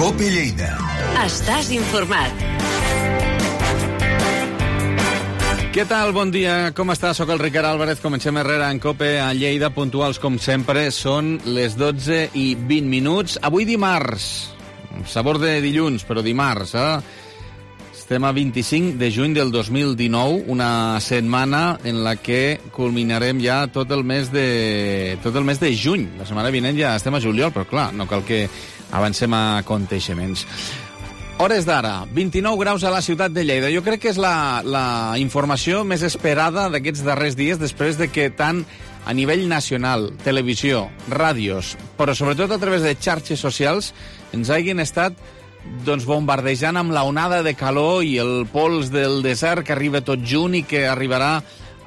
COPE Lleida. Estàs informat. Què tal? Bon dia, com està? Soc el Ricard Álvarez, comencem Herrera en COPE a Lleida, puntuals com sempre, són les 12:20. Avui dimarts, sabor de dilluns, però dimarts, Estem a 25 de juny del 2019, una setmana en la que culminarem ja tot el mes de juny. La setmana vinent ja estem a juliol, però clar, no cal que avancem a aconteixements. Hores d'ara, 29 graus a la ciutat de Lleida. Jo crec que és la informació més esperada d'aquests darrers dies, després de que tant a nivell nacional, televisió, ràdios, però sobretot a través de xarxes socials, ens hagin estat bombardejant amb la onada de calor i el pols del desert que arriba tot junt i que arribarà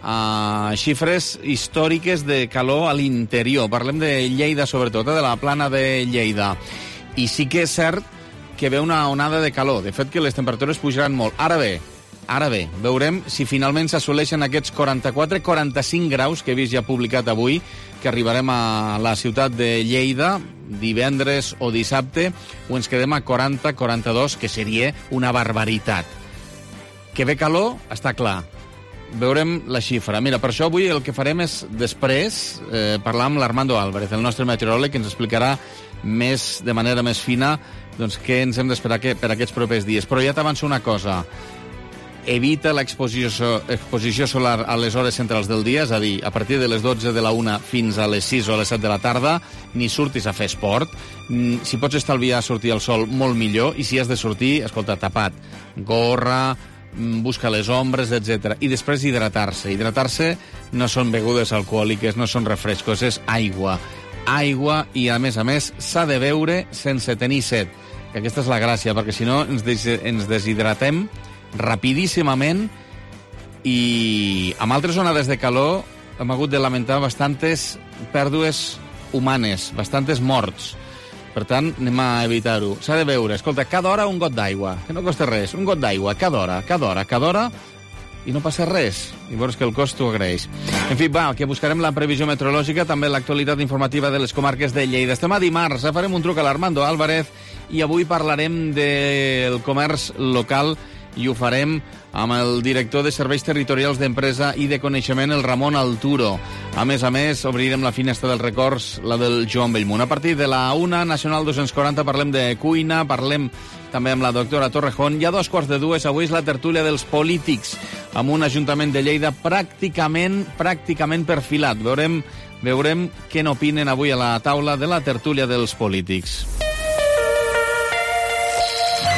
a xifres històriques de calor a l'interior. Parlem de Lleida, sobretot, de la plana de Lleida. I sí que és cert que ve una onada de calor. De fet, que les temperatures pujaran molt. Ara bé, veurem si finalment s'assoleixen aquests 44-45 graus que he vist ja publicat avui, que arribarem a la ciutat de Lleida divendres o dissabte, o ens quedem a 40-42, que seria una barbaritat. Que ve calor, està clar. Veurem la xifra. Mira, per això avui el que farem és, després, parlar amb l'Armando Álvarez, el nostre meteoròleg, que ens explicarà de manera més fina què ens hem d'esperar per aquests propers dies. Però ja t'avanço una cosa. Evita l'exposició solar a les hores centrals del dia, és a dir, a partir de les 12 de la 1 fins a les 6 o a les 7 de la tarda, ni surtis a fer esport. Si pots estalviar sortir al sol, molt millor, i si has de sortir, escolta, tapat, gorra, busca les ombres, etc. I després hidratar-se. Hidratar-se no són begudes alcohòliques, no són refrescos, és aigua. Aigua, i a més, s'ha de beure sense tenir set. I aquesta és la gràcia, perquè si no ens deshidratem rapidíssimament, i amb altres onades de calor hem hagut de lamentar bastantes pèrdues humanes, bastantes morts. Per tant, anem a evitar-ho. S'ha de beure, escolta, cada hora un got d'aigua, que no costa res, un got d'aigua, cada hora, i no passa res. I veus que el cos t'ho agraeix. En fi, que buscarem la previsió meteorològica, també l'actualitat informativa de les comarques de Lleida. Estem a dimarts, farem un truc a l'Armando Álvarez, i avui parlarem del comerç local, i ho farem amb el director de Serveis Territorials d'Empresa i de Coneixement, el Ramon Alturo. A més, obrirem la finestra dels records, la del Joan Bellmunt. A partir de la 1, Nacional 240, parlem de cuina, parlem també amb la doctora Torrejón. I a 2:15, avui és la tertúlia dels polítics, amb un Ajuntament de Lleida pràcticament perfilat. Veurem què n'opinen avui a la taula de la tertúlia dels polítics.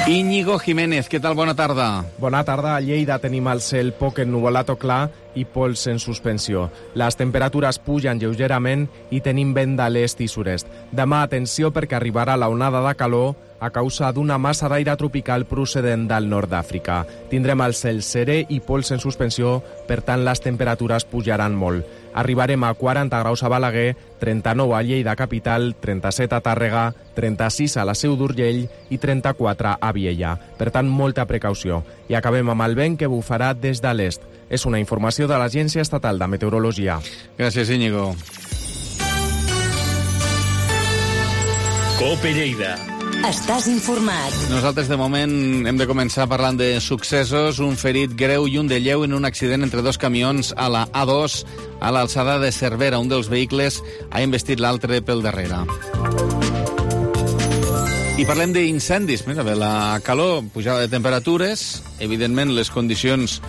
Íñigo Jiménez, què tal? Bona tarda. Bona tarda. A Lleida tenim el cel poc ennuvolat o clar i pols en suspensió. Les temperatures pugen lleugerament i tenim vent de l'est i sud-est. Demà, atenció, perquè arribarà la onada de calor a causa d'una massa d'aire tropical procedent del nord d'Àfrica. Tindrem el cel serè i pols en suspensió, per tant les temperatures pujaran molt. Arribarem a 40 graus a Balaguer, 39 a Lleida capital, 37 a Tàrrega, 36 a la Seu d'Urgell i 34 a Viella. Per tant, molta precaució. I acabem amb el vent que bufarà des de l'est. És una informació de l'Agència Estatal de Meteorologia. Gràcies, Íñigo. COPE Lleida. Estàs informat. Nosaltres, de moment, hem de començar parlant de successos. Un ferit greu i un de lleu en un accident entre dos camions a la A2 a l'alçada de Cervera. Un dels vehicles ha investit l'altre pel darrere. I parlem d'incendis. Mira, bé, la calor, pujada de temperatures. Evidentment, les condicions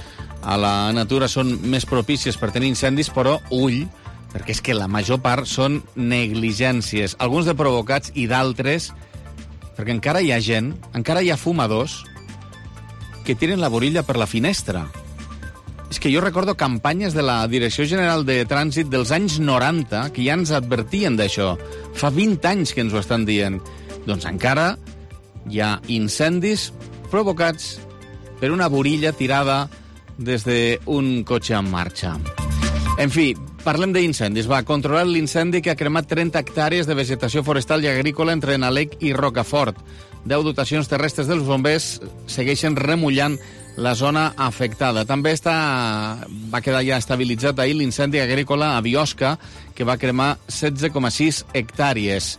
a la natura són més propícies per tenir incendis, però ull, perquè és que la major part són negligències. Alguns de provocats i d'altres perquè encara hi ha gent, encara hi ha fumadors que tiren la borilla per la finestra. És que jo recordo campanyes de la Direcció General de Trànsit dels anys 90 que ja ens advertien d'això. Fa 20 anys que ens ho estan dient. Doncs encara hi ha incendis provocats per una borilla tirada des d'un cotxe en marxa. En fi, parlem d'incendis. Controlar l'incendi que ha cremat 30 hectàrees de vegetació forestal i agrícola entre Nalec i Rocafort. 10 dotacions terrestres dels bombers segueixen remullant la zona afectada. També va quedar ja estabilitzat ahir l'incendi agrícola a Biosca, que va cremar 16,6 hectàrees.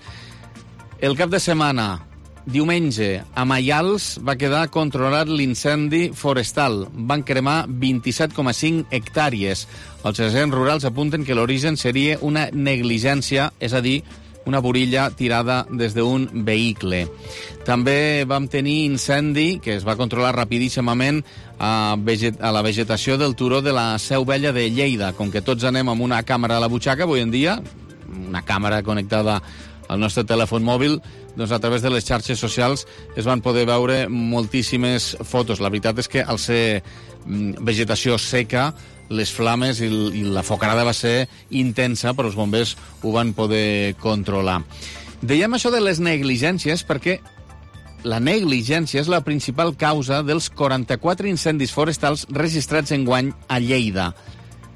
El cap de setmana, Diumenge, a Maials va quedar controlat l'incendi forestal. Van cremar 27,5 hectàrees. Els agents rurals apunten que l'origen seria una negligència, és a dir, una burilla tirada des d'un vehicle. També vam tenir incendi, que es va controlar rapidíssimament a la vegetació del turó de la Seu Vella de Lleida. Com que tots anem amb una càmera a la butxaca, avui en dia, una càmera connectada al nostre telèfon mòbil, doncs a través de les xarxes socials es van poder veure moltíssimes fotos. La veritat és que al ser vegetació seca, les flames i la focarada va ser intensa, però els bombers ho van poder controlar. Dèiem això de les negligències perquè la negligència és la principal causa dels 44 incendis forestals registrats enguany a Lleida,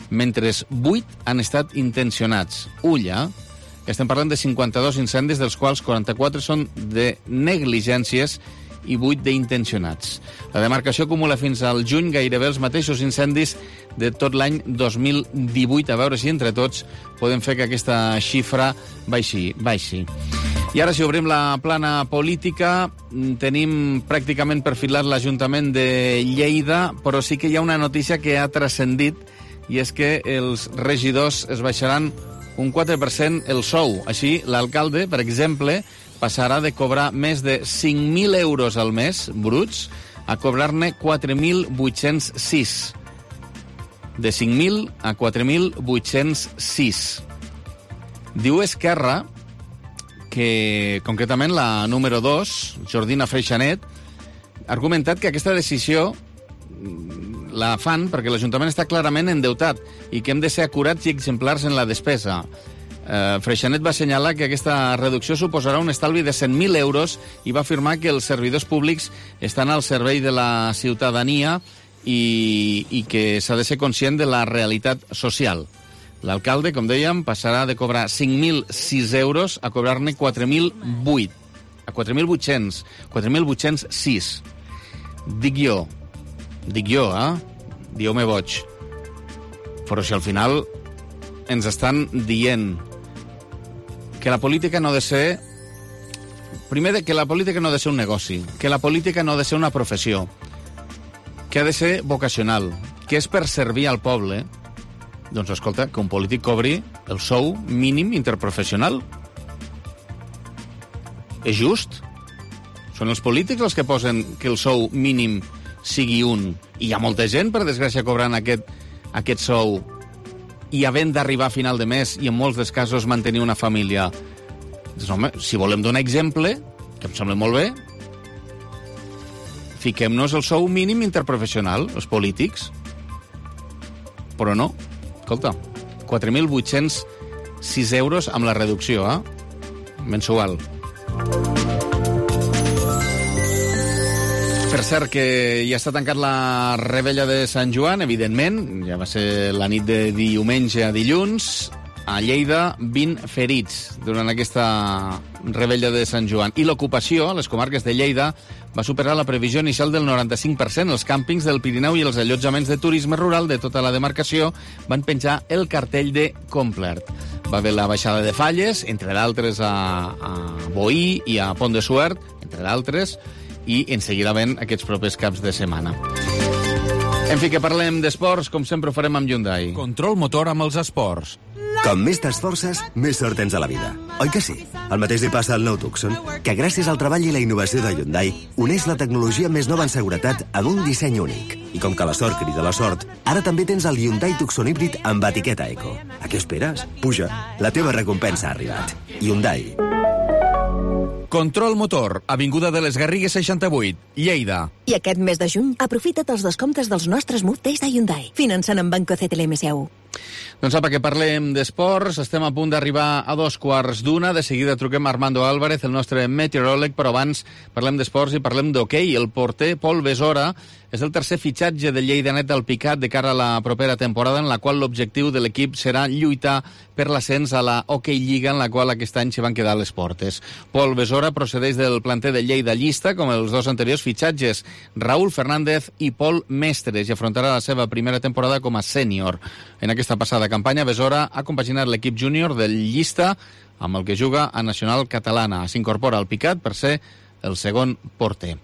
mentre 8 han estat intencionats. Ulla, estem parlant de 52 incendis, dels quals 44 són de negligències i 8 d'intencionats. La demarcació acumula fins al juny gairebé els mateixos incendis de tot l'any 2018. A veure si entre tots podem fer que aquesta xifra baixi. I ara, si obrim la plana política, tenim pràcticament perfilat l'Ajuntament de Lleida, però sí que hi ha una notícia que ha transcendit, i és que els regidors es baixaran un 4% el sou. Així, l'alcalde, per exemple, passarà de cobrar més de 5.000 euros al mes, bruts, a cobrar-ne 4.806. De 5.000 a 4.806. Diu Esquerra que, concretament, la número 2, Jordina Freixanet, ha argumentat que aquesta decisió la fan perquè l'Ajuntament està clarament endeutat i que hem de ser acurats i exemplars en la despesa. Freixanet va assenyalar que aquesta reducció suposarà un estalvi de 100.000 euros i va afirmar que els servidors públics estan al servei de la ciutadania i que s'ha de ser conscient de la realitat social. L'alcalde, com dèiem, passarà de cobrar 5.006 euros a cobrar-ne 4.008. A 4.800. 4.806. Dic jo, dieu-me boig. Però si al final ens estan dient que la política no ha de ser... Primer, que la política no ha de ser un negoci, que la política no ha de ser una professió, que ha de ser vocacional, que és per servir al poble. Doncs escolta, que un polític cobri el sou mínim interprofessional. És just? Són els polítics els que posen que el sou mínim sigui un. I hi ha molta gent, per desgràcia, cobrant aquest sou i havent d'arribar a final de mes i en molts dels casos mantenir una família. Doncs, home, si volem donar exemple, que em sembla molt bé, fiquem-nos el sou mínim interprofessional, els polítics. Però no. Escolta, 4.806 euros amb la reducció, mensual. Per cert, que ja està tancat la Revetlla de Sant Joan, evidentment. Ja va ser la nit de diumenge a dilluns. A Lleida, 20 ferits durant aquesta Revetlla de Sant Joan. I l'ocupació a les comarques de Lleida va superar la previsió inicial del 95%. Els càmpings del Pirineu i els allotjaments de turisme rural de tota la demarcació van penjar el cartell de complert. Va haver la baixada de falles, entre d'altres a Boí i a Pont de Suert, entre d'altres, i en seguida ven aquests propers caps de setmana. En fi, que parlem d'esports, com sempre ho farem amb Hyundai. Control motor amb els esports. Com més t'esforces, més sort tens a la vida. Oi que sí? El mateix li passa al nou Tucson, que gràcies al treball i la innovació de Hyundai uneix la tecnologia més nova en seguretat amb un disseny únic. I com que la sort crida la sort, ara també tens el Hyundai Tucson híbrid amb etiqueta Eco. A què esperes? Puja, la teva recompensa ha arribat. Hyundai. Control motor, avinguda de les Garrigues 68, Lleida. I aquest mes de juny, aprofita't els descomptes dels nostres Move Days de Hyundai, finançant amb Banco CTLM SEU. Doncs apa, que parlem d'esports. Estem a punt d'arribar a 2:15. De seguida truquem a Armando Álvarez, el nostre meteoròleg, però abans parlem d'esports i parlem d'hoquei. El porter Pol Besora és el tercer fitxatge de Lleidanet al Picat de cara a la propera temporada, en la qual l'objectiu de l'equip serà lluitar per l'ascens a la Hockey Lliga, en la qual aquest any s'hi van quedar les portes. Pol Besora procedeix del planter de Lleida Llista, com els dos anteriors fitxatges, Raúl Fernández i Pol Mestres, i afrontarà la seva primera temporada com a sènior. En aquesta passada campanya, Besora ha compaginat l'equip júnior del Llista amb el que juga a Nacional Catalana. S'incorpora al Picat per ser el segon porter.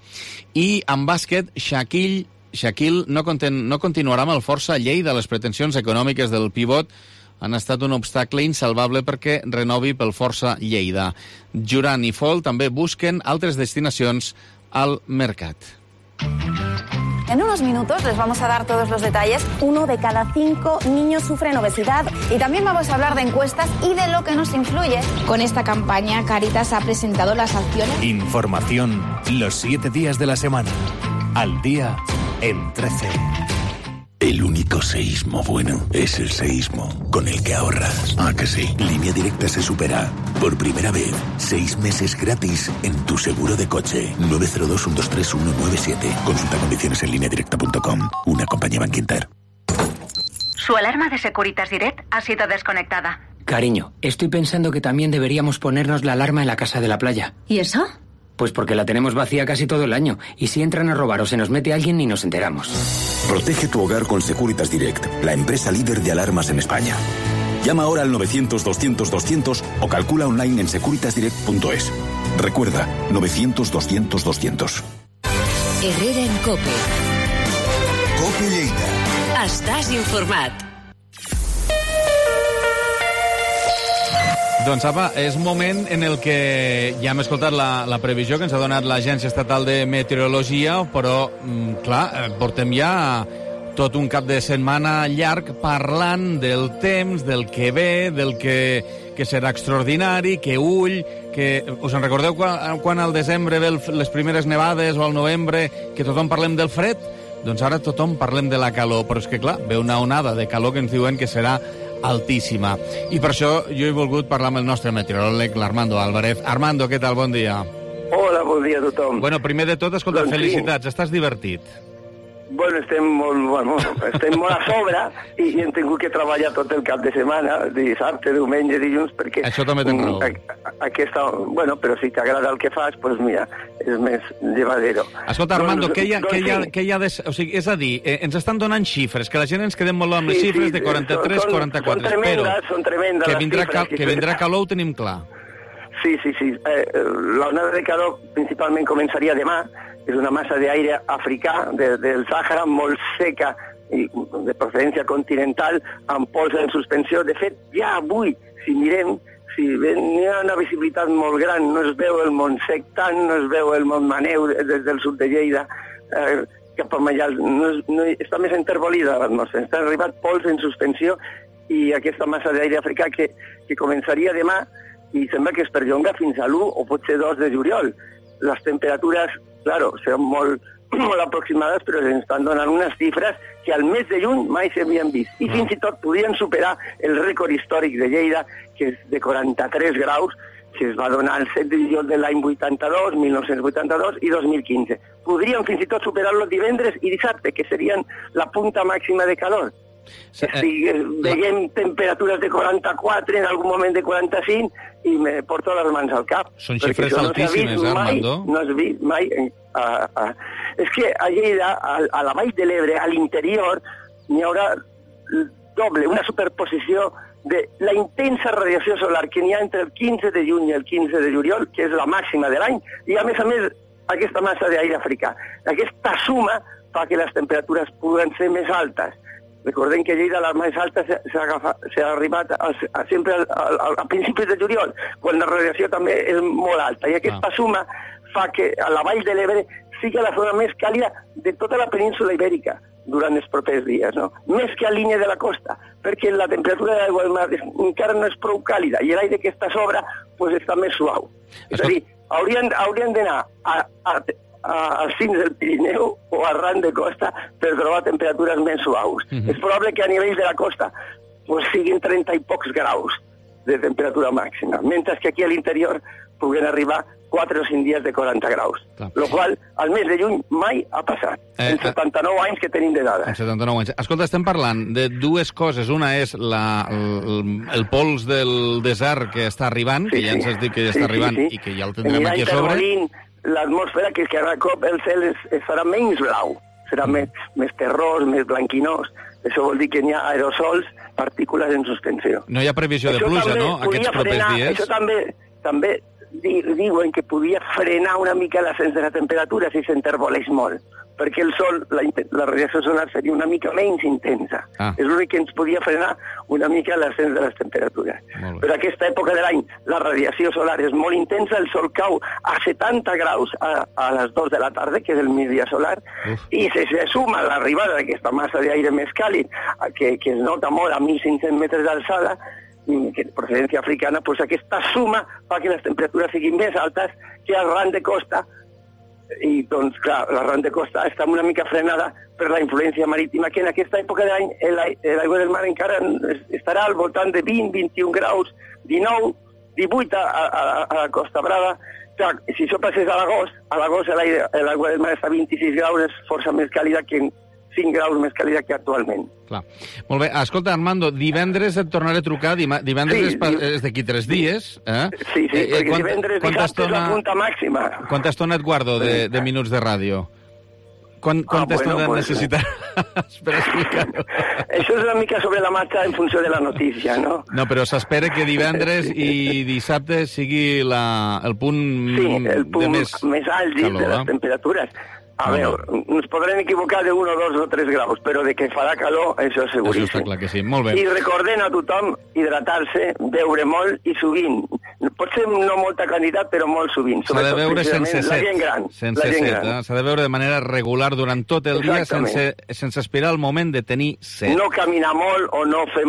I en bàsquet, Shaquille no continuarà amb el Força Lleida. Les pretensions econòmiques del pivot han estat un obstacle insalvable perquè renovi pel Força Lleida. Juran i Fol també busquen altres destinacions al mercat. En unos minutos les vamos a dar todos los detalles. 1 de cada 5 niños sufren obesidad y también vamos a hablar de encuestas y de lo que nos influye. Con esta campaña, Cáritas ha presentado las acciones. Información los 7 días de la semana. Al día en 13. El único seísmo bueno es el seísmo con el que ahorras. ¿Ah, que sí? Línea Directa se supera. Por primera vez, 6 meses gratis en tu seguro de coche. 902-123-197. Consulta condiciones en lineadirecta.com. Una compañía Bankinter. Su alarma de Securitas Direct ha sido desconectada. Cariño, estoy pensando que también deberíamos ponernos la alarma en la casa de la playa. ¿Y eso? Pues porque la tenemos vacía casi todo el año. Y si entran a robar o se nos mete alguien, ni nos enteramos. Protege tu hogar con Securitas Direct, la empresa líder de alarmas en España. Llama ahora al 900-200-200 o calcula online en securitasdirect.es. Recuerda, 900-200-200. Herrera en COPE. COPE Lleida. Estàs informat. Doncs apa, és moment en el que ja hem escoltat la previsió que ens ha donat l'Agència Estatal de Meteorologia, però, clar, portem ja tot un cap de setmana llarg parlant del temps, del que ve, del que serà extraordinari, que ull, que... Us en recordeu quan al desembre ve les primeres nevades o al novembre que tothom parlem del fred? Doncs ara tothom parlem de la calor, però és que, clar, ve una onada de calor que ens diuen que serà altíssima. I per això jo he volgut parlar amb el nostre meteoròleg, l'Armando Álvarez. Armando, què tal? Bon dia. Hola, bon dia a tothom. Bueno, primer de tot, escolta, doncs felicitats. Sí. Estàs divertit? Bueno, estem molt a sobre i hem tingut que treballar tot el cap de setmana, dissabte, diumenge, dilluns, perquè... Això també tens raó. Bueno, però si t'agrada el que fas, doncs mira, és més llevadero. Escolta, Armando, què hi ha de... O sigui, és a dir, ens estan donant xifres, que la gent ens quedem molt amb les xifres de 43, 44, però... Són tremendes les xifres. Que vindrà calor ho tenim clar. Sí. L'onada de calor principalment començaria demà. És una massa d'aire africà del Sàhara molt seca i de procedència continental amb pols en suspensió. De fet, ja avui, si mirem, hi ha una visibilitat molt gran, no es veu el Montsec tant, no es veu el Montmaneu des del sud de Lleida, cap a Mallal, està més enterbolida l'atmosfera. Està arribat pols en suspensió i aquesta massa d'aire africà que començaria demà i sembla que es perllonga fins a l'1 o potser 2 de juliol. Les temperatures, claro, seran molt aproximades, però ens estan donant unes xifres que al mes de juny mai s'havien vist. I fins i tot podien superar el rècord històric de Lleida, que és de 43 graus, que es va donar el 7 de juliol de l'any 82, 1982 i 2015. Podrien fins i tot superar-lo divendres i dissabte, que serien la punta màxima de calor. Veiem temperatures de 44, en algun moment de 45, i me porto les mans al cap. Són xifres altíssimes, Armando. No has vist mai... És que a Lleida, a la Vall de l'Ebre, a l'interior, n'hi haurà doble, una superposició de la intensa radiació solar que n'hi ha entre el 15 de juny i el 15 de juliol, que és la màxima de l'any, i a més, aquesta massa d'aire africà. Aquesta suma fa que les temperatures puguen ser més altes. Recordem que a Lleida la més alta s'ha arribat sempre a principis de juliol, quan la radiació també és molt alta. I aquesta suma fa que a la Vall de l'Ebre sigui la zona més càlida de tota la península ibèrica durant els propers dies, no? Més que a línia de la costa, perquè la temperatura de l'aigua del mar encara no és prou càlida i l'aire que està a sobre està més suau. És a dir, haurien d'anar als cims del Pirineu o arran de costa per trobar temperatures més suaus. És probable que a nivell de la costa siguin 30 i pocs graus de temperatura màxima, mentre que aquí a l'interior puguen arribar 4 o 5 dies de 40 graus. Lo qual, al mes de juny, mai ha passat. En 79 anys que tenim de dades. En 79 anys. Escolta, estem parlant de dues coses. Una és el pols del desert que està arribant, que ja ens has dit que ja està arribant i que ja el tindrem aquí a sobre. L'atmosfera, que cada cop el cel serà menys blau, serà més terrós, més blanquinós. Això vol dir que hi ha aerosols, partícules en suspensió. No hi ha previsió de pluja, no?, aquests propers dies? Això també diuen que podia frenar una mica l'ascens de la temperatura si s'enterboleix molt, perquè el sol, la radiació solar seria una mica menys intensa. És l'únic que ens podia frenar una mica l'ascens de les temperatures. Però a aquesta època de l'any la radiació solar és molt intensa, el sol cau a 70 graus a les 2 de la tarda, que és el migdia solar, i si se suma l'arribada d'aquesta massa d'aire més càlid, que es nota molt a 1.500 metres d'alçada, que de procedència africana, doncs aquesta suma fa que les temperatures siguin més altes que al ran de costa, i doncs clar, la ran de costa està una mica frenada per la influència marítima, que en aquesta època de l'any l'aigua del mar encara estarà al voltant de 20, 21 graus, 19, 18 a la Costa Brava. Clar, si això passés a l'agost l'aigua del mar està a 26 graus, és força més càlida que 5 graus més càlida que actualment. Clar. Molt bé. Escolta, Armando, divendres et tornaré a trucar. Divendres és d'aquí 3 dies. Sí, perquè divendres dissabte és la punta màxima. Quanta estona et guardo de minuts de ràdio? Quanta estona necessitaràs per explicar-ho? Això és una mica sobre la marxa en funció de la notícia, no? No, però s'espera que divendres i dissabte sigui el punt més àlgid de les temperatures. A veure, ens podrem equivocar de 1, 2 o 3 graus, però de que farà calor, això és seguríssim. Això està clar que sí, molt bé. I recordem a tothom hidratar-se, beure molt i sovint. Pot ser no molta quantitat, però molt sovint. S'ha de beure sense set. La gent gran. Sense set, s'ha de beure de manera regular durant tot el dia, sense esperar el moment de tenir set. No caminar molt o no fer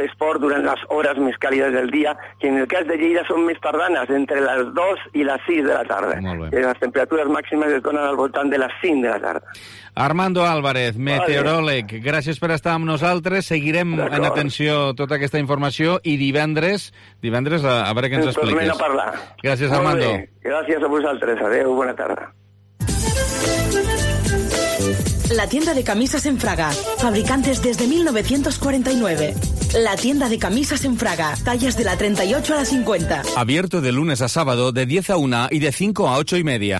esport durant les hores més càlides del dia, que en el cas de Lleida són més tardanes, entre les 2 i les 6 de la tarda. Les temperatures màximes es donen al voltant de les 5 de la tarda. Armando Álvarez, meteoròleg, gràcies per estar amb nosaltres. Seguirem en atenció tota aquesta informació i divendres a veure què ens expliques. Tornem a parlar. Gràcies, Armando. Gràcies a vosaltres. Adéu, bona tarda. La tienda de camisas en Fraga, fabricantes desde 1949. La tienda de camisas en Fraga, tallas de la 38 a la 50. Abierto de lunes a sábado de 10 a 1 y de 5 a 8 y media.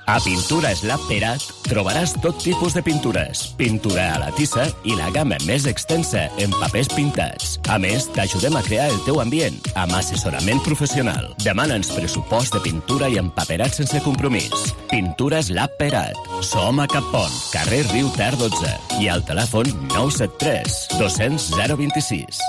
A Pintures Lab Perat trobaràs tot tipus de pintures, pintura a la tissa i la gamma més extensa en papers pintats. A més, t'ajudem a crear el teu ambient amb assessorament professional. Demana'ns pressupost de pintura i empaperat sense compromís. Pintures Lab Perat. Som a Cappont, carrer Riu Ter 12 i al telèfon 973 200 026.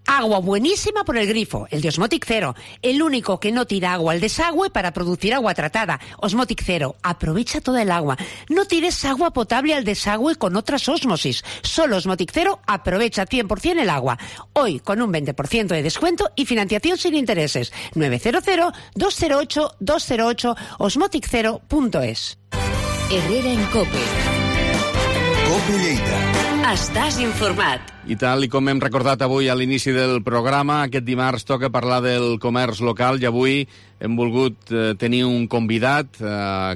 Agua buenísima por el grifo, el de Osmotic Zero, el único que no tira agua al desagüe para producir agua tratada. Osmotic Zero, aprovecha toda el agua. No tires agua potable al desagüe con otras ósmosis. Solo Osmotic Zero aprovecha 100% el agua. Hoy con un 20% de descuento y financiación sin intereses. 900-208-208 osmoticzero.es. Herrera en COPE. COPE Lleida. Estàs informat. I tal com hem recordat avui a l'inici del programa, aquest dimarts toca parlar del comerç local i avui hem volgut tenir un convidat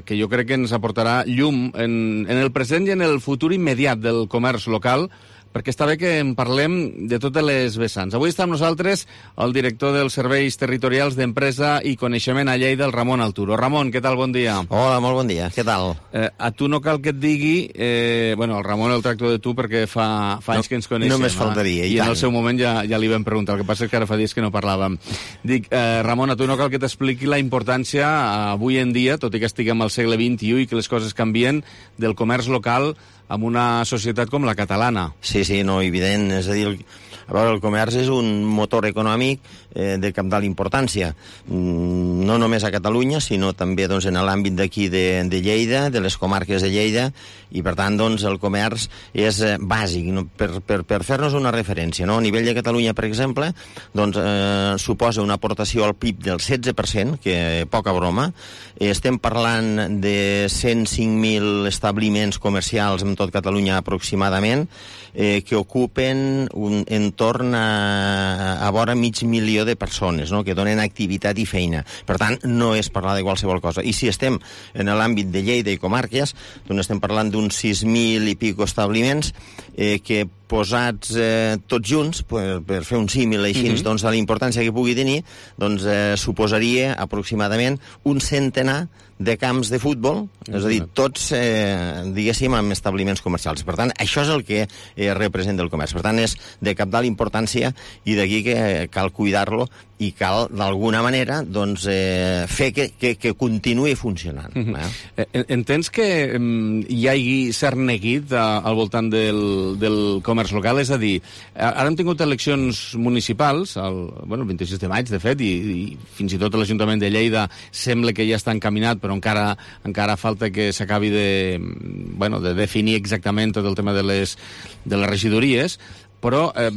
que jo crec que ens aportarà llum en el present i en el futur immediat del comerç local, perquè està bé que en parlem de totes les vessants. Avui està amb nosaltres el director dels Serveis Territorials d'Empresa i Coneixement a Lleida, el Ramon Alturo. Ramon, què tal? Bon dia. Hola, molt bon dia. Què tal? A tu no cal que et digui... Bueno, el Ramon el tracto de tu perquè fa anys que ens coneixem. Només faltaria, i en el seu moment ja li vam preguntar. El que passa és que ara fa dies que no parlàvem. Dic, Ramon, a tu no cal que t'expliqui la importància avui en dia, tot i que estiguem al segle XXI i que les coses canvien, del comerç local amb una societat com la catalana. Sí, no, evident. És a dir, a veure, el comerç és un motor econòmic de cabdal importància, no només a Catalunya, sinó també doncs, en l'àmbit d'aquí de Lleida, de les comarques de Lleida, i per tant doncs, el comerç és bàsic, no? per fer-nos una referència. No? A nivell de Catalunya, per exemple, doncs, suposa una aportació al PIB del 16%, que poca broma. Estem parlant de 105.000 establiments comercials en tot Catalunya aproximadament, que ocupen entorn a vora mig milió de persones, no? que donen activitat i feina. Per tant, no és parlar de qualsevol cosa. I si estem en l'àmbit de Lleida i comarques, doncs estem parlant d'uns 6.000 i pico establiments que posats tots junts, per fer un símil així, doncs, de la importància que pugui tenir, doncs suposaria aproximadament un centenar de camps de futbol, és a dir, tots, diguéssim, amb establiments comercials. Per tant, això és el que representa el comerç. Per tant, és de cabdal importància i d'aquí que cal cuidar-lo i cal, d'alguna manera, doncs, fer que continuï funcionant. Entens que hi hagi cert neguit al voltant del comerç local? És a dir, ara hem tingut eleccions municipals, el 26 de maig, de fet, i fins i tot l'Ajuntament de Lleida sembla que ja està encaminat, però encara falta que s'acabi de definir exactament tot el tema de les regidories, però a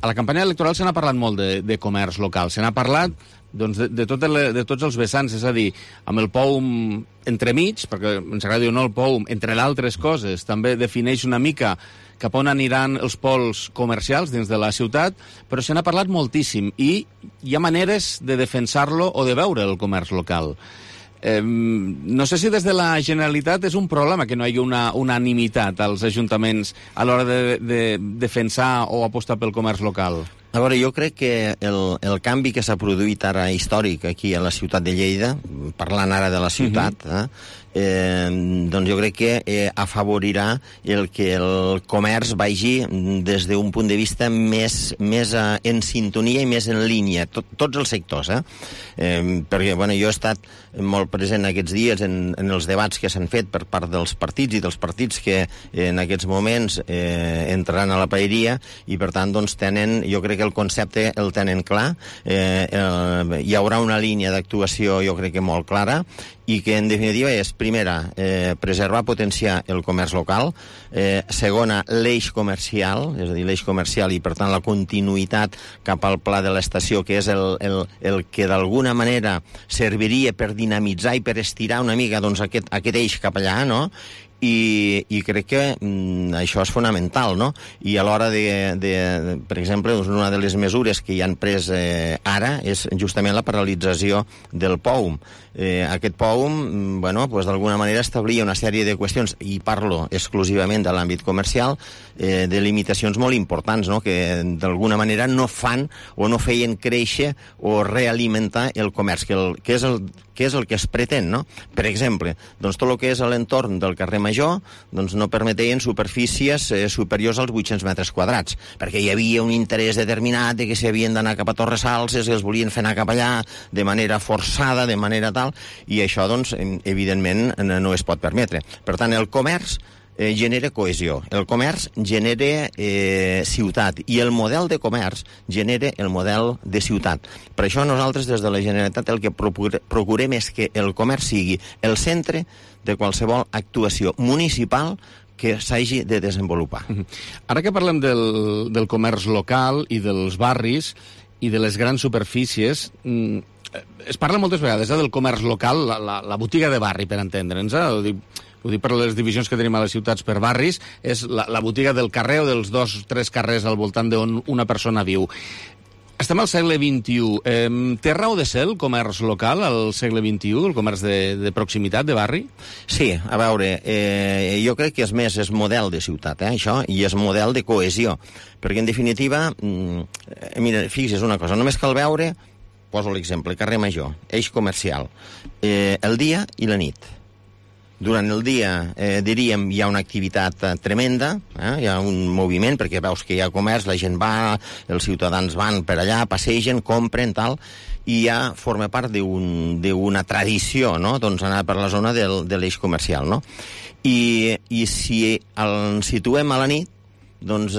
la campanya electoral se n'ha parlat molt de comerç local, se n'ha parlat de tots els vessants, és a dir, amb el POUM entremig, perquè ens agrada dir o no el POUM, entre d'altres coses, també defineix una mica cap on aniran els pols comercials dins de la ciutat, però se n'ha parlat moltíssim i hi ha maneres de defensar-lo o de veure el comerç local. No sé si des de la Generalitat és un problema que no hi hagi una unanimitat als ajuntaments a l'hora de defensar o apostar pel comerç local. A veure, jo crec que el canvi que s'ha produït ara històric aquí a la ciutat de Lleida, parlant ara de la ciutat, doncs jo crec que afavorirà el que el comerç vagi des d'un punt de vista més en sintonia i més en línia, tots els sectors, perquè jo he estat molt present aquests dies en els debats que s'han fet per part dels partits i dels partits que en aquests moments entraran a la paeria i per tant doncs tenen, jo crec que el concepte el tenen clar, hi haurà una línia d'actuació jo crec que molt clara i que en definitiva és, primera, preservar, potenciar el comerç local, segona, l'eix comercial, és a dir, l'eix comercial i per tant la continuïtat cap al pla de l'estació, que és el que d'alguna manera serviria per dinamitzar i per estirar una mica doncs, aquest eix cap allà, no? I crec que això és fonamental, no? I a l'hora per exemple, una de les mesures que hi han pres ara és justament la paralització del POUM. Aquest POUM, d'alguna manera establia una sèrie de qüestions, i parlo exclusivament de l'àmbit comercial, de limitacions molt importants, no? Que d'alguna manera no fan o no feien créixer o realimentar el comerç, que és el que es pretén, no? Per exemple, doncs tot el que és a l'entorn del carrer Major doncs no permetien superfícies superiors als 800 metres quadrats, perquè hi havia un interès determinat de que s'havien d'anar cap a Torres Salses, que els volien fer anar cap allà de manera forçada, de manera tal, i això, doncs, evidentment, no es pot permetre. Per tant, el comerç genera cohesió, el comerç genera ciutat i el model de comerç genera el model de ciutat. Per això nosaltres des de la Generalitat el que procurem és que el comerç sigui el centre de qualsevol actuació municipal que s'hagi de desenvolupar. Ara que parlem del comerç local i dels barris i de les grans superfícies, es parla moltes vegades del comerç local, la botiga de barri, per entendre'ns, ho dic per les divisions que tenim a les ciutats per barris, és la botiga del carrer o dels 2 o 3 carrers al voltant d'on una persona viu. Estem al segle XXI. Té raó de ser el comerç local al segle XXI, el comerç de proximitat, de barri? Sí, a veure, jo crec que és model de ciutat, això, i és model de cohesió, perquè en definitiva, mira, fixa't una cosa, només cal veure, poso l'exemple, carrer Major, eix comercial, el dia i la nit. Durant el dia, diríem, hi ha una activitat tremenda, hi ha un moviment, perquè veus que hi ha comerç, la gent va, els ciutadans van per allà, passegen, compren, tal, i ja forma part d'una tradició, no?, doncs anar per la zona de l'eix comercial, no? I si el situem a la nit, doncs,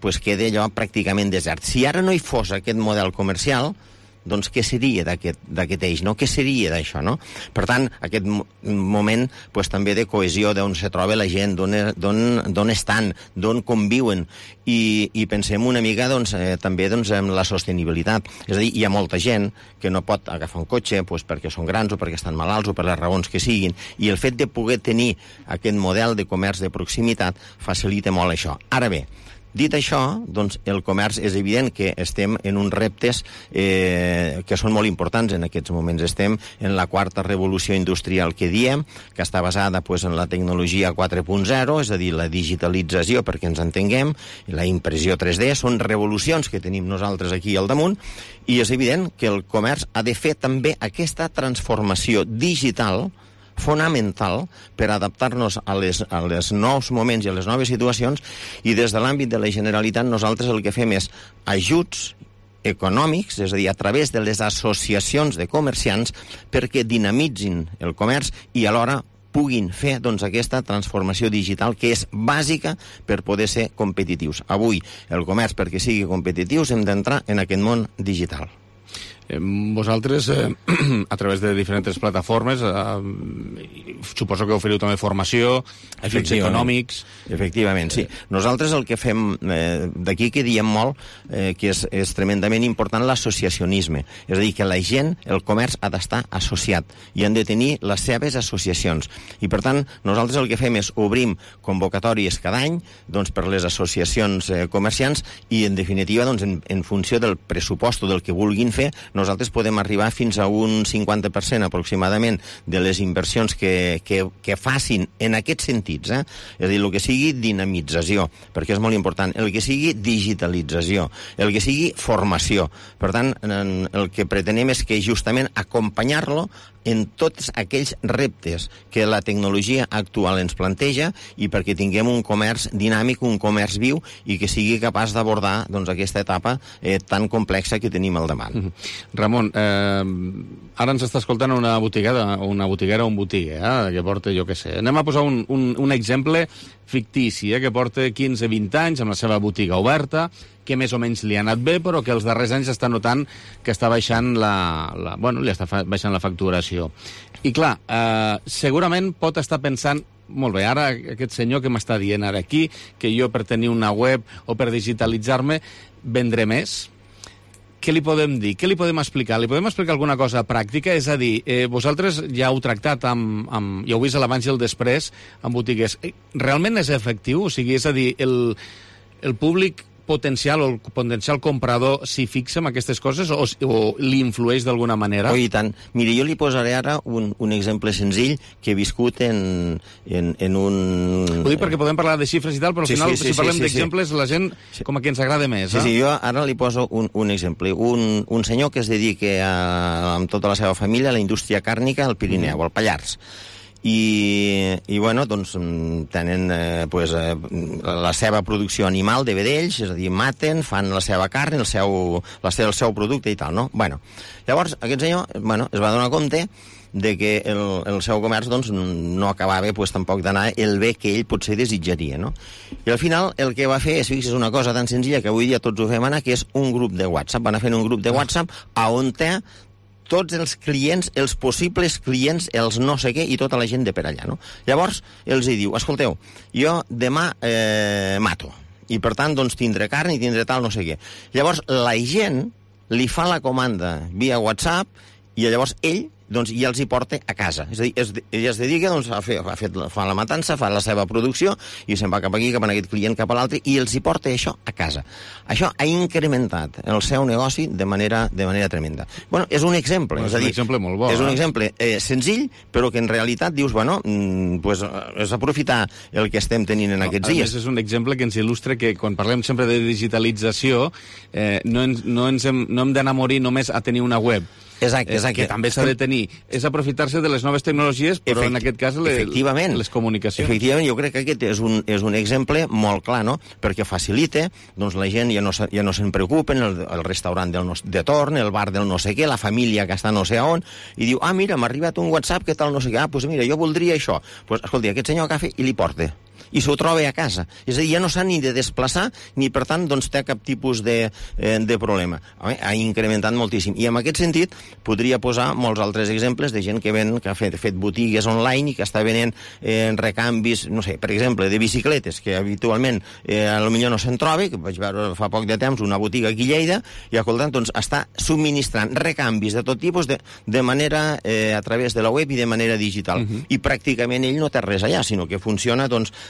pues queda allò pràcticament desert. Si ara no hi fos aquest model comercial, doncs què seria d'aquest eix, no? Què seria d'això, no? Per tant, aquest moment pues, també de cohesió, d'on se troba la gent, d'on estan, d'on conviuen, i pensem una mica doncs, també doncs, en la sostenibilitat. És a dir, hi ha molta gent que no pot agafar un cotxe pues, perquè són grans o perquè estan malalts o per les raons que siguin, i el fet de poder tenir aquest model de comerç de proximitat facilita molt això. Ara bé, Dit això, doncs, el comerç és evident que estem en uns reptes que són molt importants en aquests moments. Estem en la quarta revolució industrial que diem, que està basada en la tecnologia 4.0, és a dir, la digitalització, perquè ens entenguem, i la impressió 3D, són revolucions que tenim nosaltres aquí al damunt, i és evident que el comerç ha de fer també aquesta transformació digital fonamental per adaptar-nos als nous moments i a les noves situacions, i des de l'àmbit de la Generalitat nosaltres el que fem és ajuts econòmics, és a dir, a través de les associacions de comerciants, perquè dinamitzin el comerç i alhora puguin fer aquesta transformació digital que és bàsica per poder ser competitius. Avui, el comerç, perquè sigui competitius, hem d'entrar en aquest món digital. Vosaltres, a través de diferents plataformes, suposo que oferiu també formació, ajuts econòmics... Efectivament, sí. Nosaltres el que fem, d'aquí que diem molt, que és tremendament important l'associacionisme. És a dir, que la gent, el comerç, ha d'estar associat i han de tenir les seves associacions. I, per tant, nosaltres el que fem és obrim convocatòries cada any per les associacions comerciants i, en definitiva, en funció del pressupost o del que vulguin fer, nosaltres podem arribar fins a un 50% aproximadament de les inversions que facin en aquests sentits. És a dir, el que sigui dinamització, perquè és molt important, el que sigui digitalització, el que sigui formació. Per tant, el que pretenem és que justament acompanyar-lo en tots aquells reptes que la tecnologia actual ens planteja i perquè tinguem un comerç dinàmic, un comerç viu i que sigui capaç d'abordar aquesta etapa tan complexa que tenim al davant. Ramon, ara ens està escoltant una botiguera o un botigue, que porta, jo què sé. Anem a posar un exemple fictici, que porta 15-20 anys amb la seva botiga oberta, que més o menys li ha anat bé, però que els darrers anys està notant que està baixant li està baixant la facturació. I clar, segurament pot estar pensant, molt bé, ara aquest senyor que m'està dient ara aquí, que jo per tenir una web o per digitalitzar-me vendré més. Què li podem dir? Què li podem explicar? Li podem explicar alguna cosa pràctica? És a dir, vosaltres ja heu tractat ja heu vist l'abans i el després amb botigues. Realment és efectiu? O sigui, és a dir, el públic potencial o el potencial comprador s'hi fixa en aquestes coses o li influeix d'alguna manera? I tant. Mira, jo li posaré ara un exemple senzill que he viscut en un... Ho dic perquè podem parlar de xifres i tal, però al final, si parlem d'exemples, la gent com a que ens agrada més. Sí, jo ara li poso un exemple. Un senyor que es dedica amb tota la seva família a la indústria càrnica al Pirineu, al Pallars. I bueno, tenen la seva producció animal de vedells, és a dir, maten, fan la seva carn, el seu producte i tal, no? Bueno, llavors aquest senyor es va donar compte de que el seu comerç no acabava tampoc d'anar el bé que ell potser desitjaria, no? I al final el que va fer és, fixa't, una cosa tan senzilla que avui dia tots ho fem anar, que és un grup de WhatsApp. Van a fer un grup de WhatsApp on té tots els clients, els possibles clients, els no sé què, i tota la gent de per allà, no? Llavors, els diu, escolteu, jo demà mato, i per tant, tindré carn i tindré tal no sé què. Llavors, la gent li fa la comanda via WhatsApp, i llavors ell ja els hi porta a casa. És a dir, ell es dedica fa la matança, fa la seva producció i se'n va cap aquí, cap a aquest client, cap a l'altre, i els hi porta això a casa. Això ha incrementat el seu negoci de manera tremenda. Bueno, és un exemple. És un exemple molt bo. És un exemple senzill, però que en realitat dius, és aprofitar el que estem tenint en aquests dies. A més, és un exemple que ens il·lustra que quan parlem sempre de digitalització no hem d'anar a morir només a tenir una web. Exacte. Que també s'ha de tenir. És aprofitar-se de les noves tecnologies, però en aquest cas les comunicacions. Efectivament, jo crec que aquest és un exemple molt clar, no? Perquè facilita, la gent ja no se'n preocupen, el restaurant de torn, el bar del no sé què, la família que està no sé on, i diu, mira, m'ha arribat un WhatsApp, què tal no sé què, doncs mira, jo voldria això. Doncs, escolti, aquest senyor agafa i li porta. I s'ho troba a casa. És a dir, ja no s'ha ni de desplaçar, ni per tant té cap tipus de problema. Ha incrementat moltíssim. I en aquest sentit podria posar molts altres exemples de gent que ha fet botigues online i que està venent recanvis, no sé, per exemple, de bicicletes, que habitualment potser no se'n troba, que vaig veure fa poc de temps una botiga aquí a Lleida, i escoltant, està subministrant recanvis de tot tipus de manera a través de la web i de manera digital. I pràcticament ell no té res allà, sinó que funciona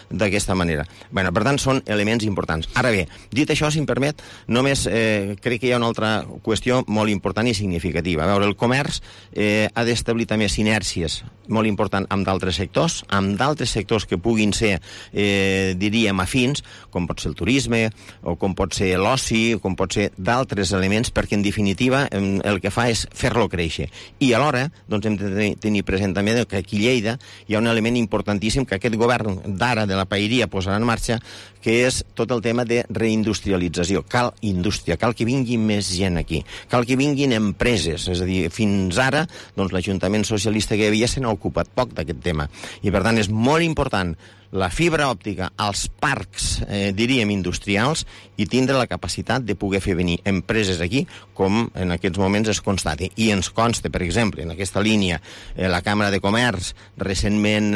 d'aquesta manera. Bueno, per tant, són elements importants. Ara bé, dit això, si em permet, només crec que hi ha una altra qüestió molt important i significativa. A veure, el comerç ha d'establir també sinèrcies molt important amb d'altres sectors que puguin ser, diríem, afins, com pot ser el turisme, o com pot ser l'oci, com pot ser d'altres elements, perquè en definitiva el que fa és fer-lo créixer. I alhora doncs, hem de tenir present també que aquí a Lleida hi ha un element importantíssim que aquest govern d'ara de la paeria posarà en marxa, que és tot el tema de reindustrialització. Cal indústria, cal que vingui més gent aquí, cal que vinguin empreses, és a dir, fins ara doncs, l'Ajuntament Socialista que hi havia se n'ha ocupat poc d'aquest tema. I per tant és molt important la fibra òptica als parcs, diríem, industrials, i tindre la capacitat de poder fer venir empreses aquí, com en aquests moments es constati. I ens consta, per exemple, en aquesta línia, la Càmera de Comerç, recentment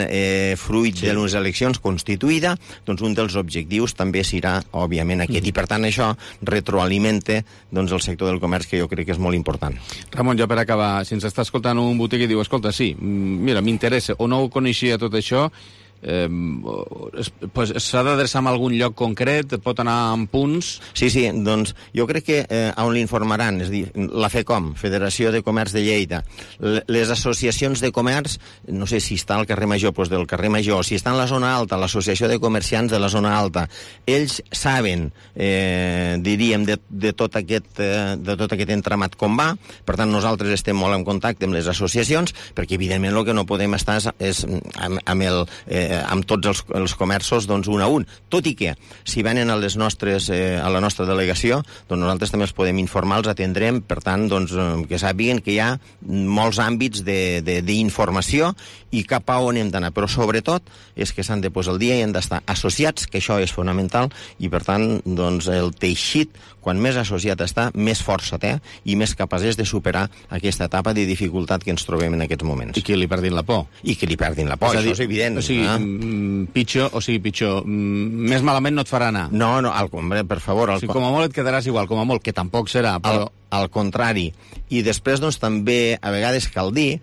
fruit de les eleccions constituïda, doncs un dels objectius també serà, òbviament, aquest. I, per tant, això retroalimenta doncs, el sector del comerç, que jo crec que és molt important. Ramon, ja per acabar, si ens està escoltant un botiguer i diu, escolta, sí, mira, m'interessa, o no ho coneixia tot això, pues s'ha d'adreçar a algun lloc concret, pot anar en punts? Sí, doncs jo crec que on l'informaran, és a dir, la FECOM, Federació de Comerç de Lleida, les associacions de comerç, no sé si està al carrer Major, doncs del carrer Major, si està en la zona alta, l'Associació de Comerciants de la zona alta, ells saben, diríem, de tot aquest entramat com va, per tant nosaltres estem molt en contacte amb les associacions, perquè evidentment el que no podem estar és amb tots els comerços doncs, un a un. Tot i que, si venen a la nostra delegació, doncs nosaltres també els podem informar, els atendrem, per tant, doncs, que sàpiguen que hi ha molts àmbits d'informació i cap a on hem d'anar. Però, sobretot, és que s'han de posar al dia i han d'estar associats, que això és fonamental, i, per tant, doncs, el teixit, quan més associat està, més força té i més capaç és de superar aquesta etapa de dificultat que ens trobem en aquests moments. I que li perdin la por. I que li perdin la por, això és evident. O sigui, pitjor, més malament no et farà anar. No, per favor. O sigui, com a molt et quedaràs igual, com a molt, que tampoc serà, però... Al contrari. I després, doncs, també, a vegades cal dir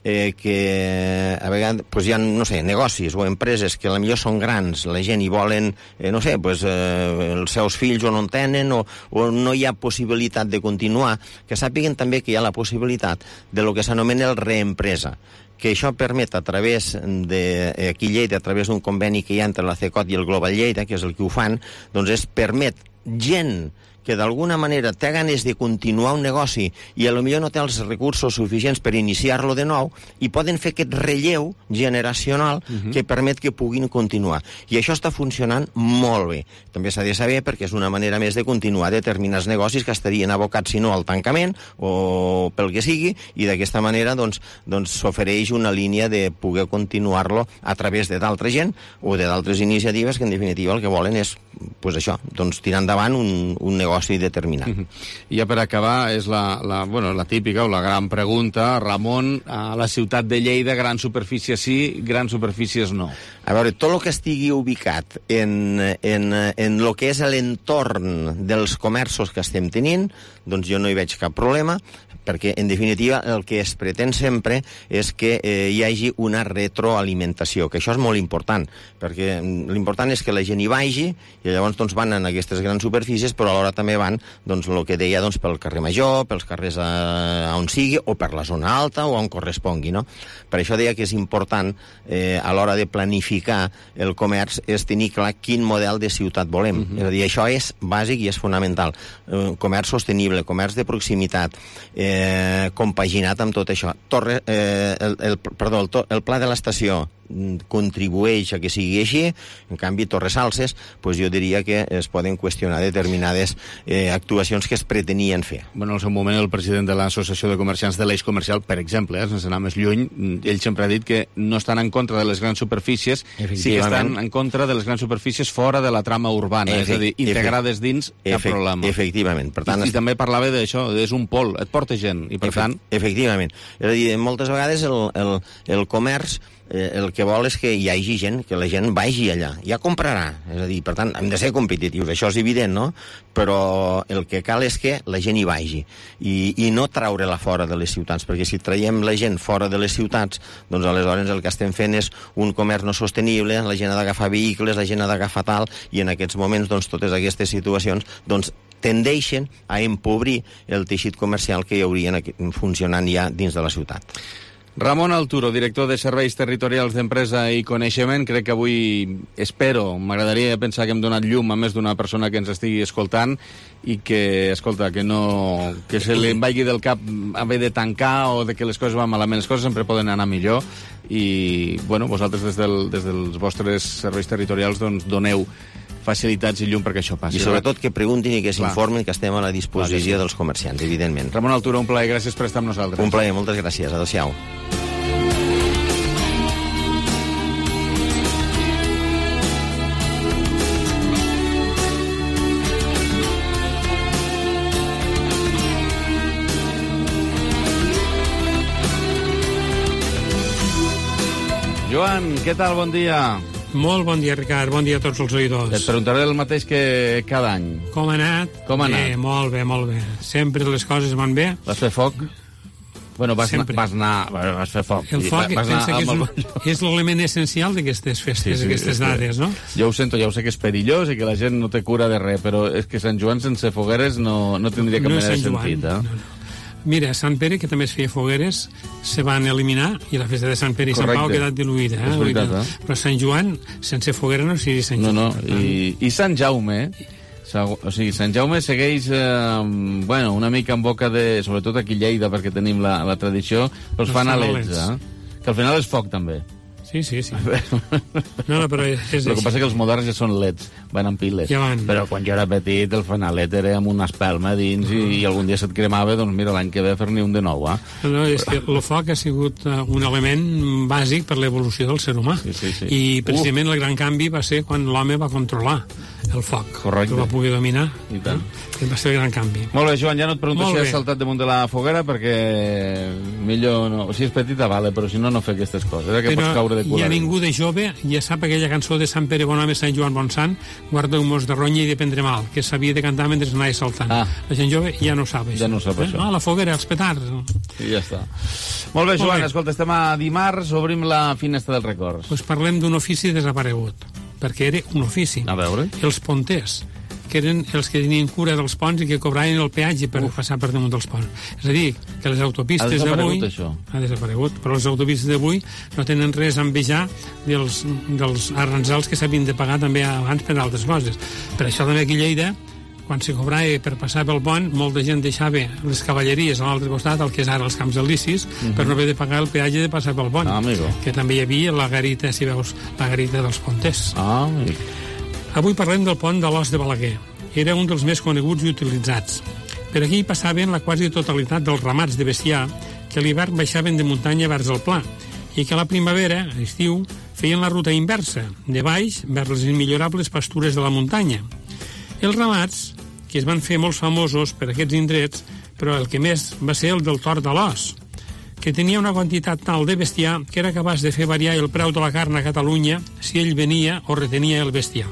que a vegades pues, hi ha, no sé, negocis o empreses que potser són grans, la gent hi volen, no sé, pues, els seus fills o no en tenen o no hi ha possibilitat de continuar, que sàpiguen també que hi ha la possibilitat de lo que s'anomena el reempresa, que això permet a través aquí a Lleida, a través d'un conveni que hi ha entre la CECOT i el Global Lleida, que és el que ho fan, doncs permet gent que d'alguna manera té ganes de continuar un negoci i potser no té els recursos suficients per iniciar-lo de nou i poden fer aquest relleu generacional que permet que puguin continuar. I això està funcionant molt bé. També s'ha de saber perquè és una manera més de continuar determinats negocis que estarien abocats, si no, al tancament o pel que sigui, i d'aquesta manera doncs s'ofereix una línia de poder continuar-lo a través de d'altra gent o de d'altres iniciatives que en definitiva el que volen és pues això, doncs tirar endavant un negoci determinat. I ja per acabar, és la típica o la gran pregunta, Ramon, a la ciutat de Lleida, grans superfícies sí, grans superfícies no. A veure, tot el que estigui ubicat en el que és l'entorn dels comerços que estem tenint, doncs jo no hi veig cap problema, perquè, en definitiva, el que es pretén sempre és que hi hagi una retroalimentació, que això és molt important, perquè l'important és que la gent hi vagi, i llavors doncs, van en aquestes grans superfícies, però alhora també van, doncs, el que deia, doncs, pel carrer Major, pels carrers on sigui, o per la zona alta, o on correspongui, no? Per això deia que és important, a l'hora de planificar el comerç, és tenir clar quin model de ciutat volem. És a dir, això és bàsic i és fonamental. Comerç sostenible, comerç de proximitat, compaginat amb tot això. El pla de l'estació contribueix a que sigui així, en canvi Torres Salses, doncs jo diria que es poden qüestionar determinades actuacions que es pretenien fer. Bueno, en el seu moment el president de l'Associació de Comerciants de l'Eix Comercial, per exemple, sense anar més lluny, ell sempre ha dit que no estan en contra de les grans superfícies, sí que estan en contra de les grans superfícies fora de la trama urbana, és a dir, integrades dins cap problema. Efectivament. Per tant, I també parlava d'això, és un pol, et porta gent, i per tant... Efectivament. És a dir, moltes vegades el comerç el que vol és que hi hagi gent, que la gent vagi allà, ja comprarà. És a dir, per tant, hem de ser competitius, això és evident, no? Però el que cal és que la gent hi vagi i no traure-la fora de les ciutats, perquè si traiem la gent fora de les ciutats, doncs aleshores el que estem fent és un comerç no sostenible, la gent ha d'agafar vehicles, la gent ha d'agafar tal, i en aquests moments doncs, totes aquestes situacions doncs, tendeixen a empobrir el teixit comercial que hi haurien funcionant ja dins de la ciutat. Ramon Alturo, director de Serveis Territorials d'Empresa i Coneixement. Crec que avui, m'agradaria pensar que hem donat llum a més d'una persona que ens estigui escoltant i que, escolta, que se li vagi del cap haver de tancar o de que les coses van malament. Les coses sempre poden anar millor i, bueno, vosaltres des dels vostres serveis territorials doncs doneu facilitats i llum perquè això passi. I sobretot que preguntin i que s'informin, que estem a la disposició dels comerciants, evidentment. Ramon Alturo, un plaer, gràcies per estar amb nosaltres. Un plaer, moltes gràcies, adéu-siau. Joan, què tal? Bon dia. Molt bon dia, Ricard. Bon dia a tots els oïdors. Et preguntaré el mateix que cada any. Com ha anat? Bé, molt bé, molt bé. Sempre les coses van bé. Vas fer foc? Bueno, vas fer foc. El foc és l'element essencial d'aquestes festes, d'aquestes dates, no? Jo ho sento, ja ho sé que és perillós i que la gent no té cura de res, però és que Sant Joan sense fogueres no tindria cap mena de sentit, eh? No. Mira, Sant Pere, que també es feia fogueres, se van eliminar i la festa de Sant Pere i Sant Pau ha quedat diluïda. És veritat, Però Sant Joan, sense foguera no seria Sant Joan. No, i Sant Jaume, o sigui, Sant Jaume segueix una mica en boca de, sobretot aquí a Lleida, perquè tenim la tradició, però es fan a leds, que al final és foc també. Sí. No, però és el que passa que els moderns ja són leds, van amb piles. Ja van. Però quan jo era petit, el fanalet era amb una espelma dins i algun dia se't cremava, doncs mira, l'any que ve fer-ne un de nou, No, és que el foc ha sigut un element bàsic per l'evolució del ser humà. Sí. I precisament el gran canvi va ser quan l'home va controlar el foc. Correcte. Que va poder dominar. I tant. Va ser el gran canvi. Molt bé, Joan, ja no et pregunto si has saltat damunt de la foguera, perquè millor no... Si és petita, vale, però si no fer aquestes coses. Que pots caure de cul. I a ningú de jove ja sap aquella cançó de Sant Pere Bon Home, Sant Joan Bon Sant, guardeu-mos de ronya i de prendre mal, que s'havia de cantar mentre anava saltant. La gent jove ja no sap això. Ja no sap això. La foguera, els petards. I ja està. Molt bé, Joan, escolta, estem a dimarts, obrim la finestra dels records. Doncs parlem d'un ofici desaparegut, perquè era un ofici. A veure. Els ponters, que eren els que tenien cura dels ponts i que cobraven el peatge per passar per damunt dels ponts. És a dir, que les autopistes d'avui... Ha desaparegut, però les autopistes d'avui no tenen res a envejar dels arranjals que s'havien de pagar també abans per altres coses. Per això també aquí a Lleida, quan se cobrava per passar pel pont, molta gent deixava les cavalleries a l'altre costat, el que és ara els camps elicis, per no haver de pagar el peatge de passar pel pont. Que també hi havia la garita, si veus, la garita dels ponters. Avui parlem del pont de l'Os de Balaguer. Era un dels més coneguts i utilitzats. Per aquí passaven la quasi totalitat dels ramats de bestiar que a l'hivern baixaven de muntanya vers el pla i que a la primavera, a l'estiu, feien la ruta inversa, de baix vers les immillorables pastures de la muntanya. Els ramats, que es van fer molt famosos per aquests indrets, però el que més va ser el del Tord de l'Os, que tenia una quantitat tal de bestiar que era capaç de fer variar el preu de la carn a Catalunya si ell venia o retenia el bestiar.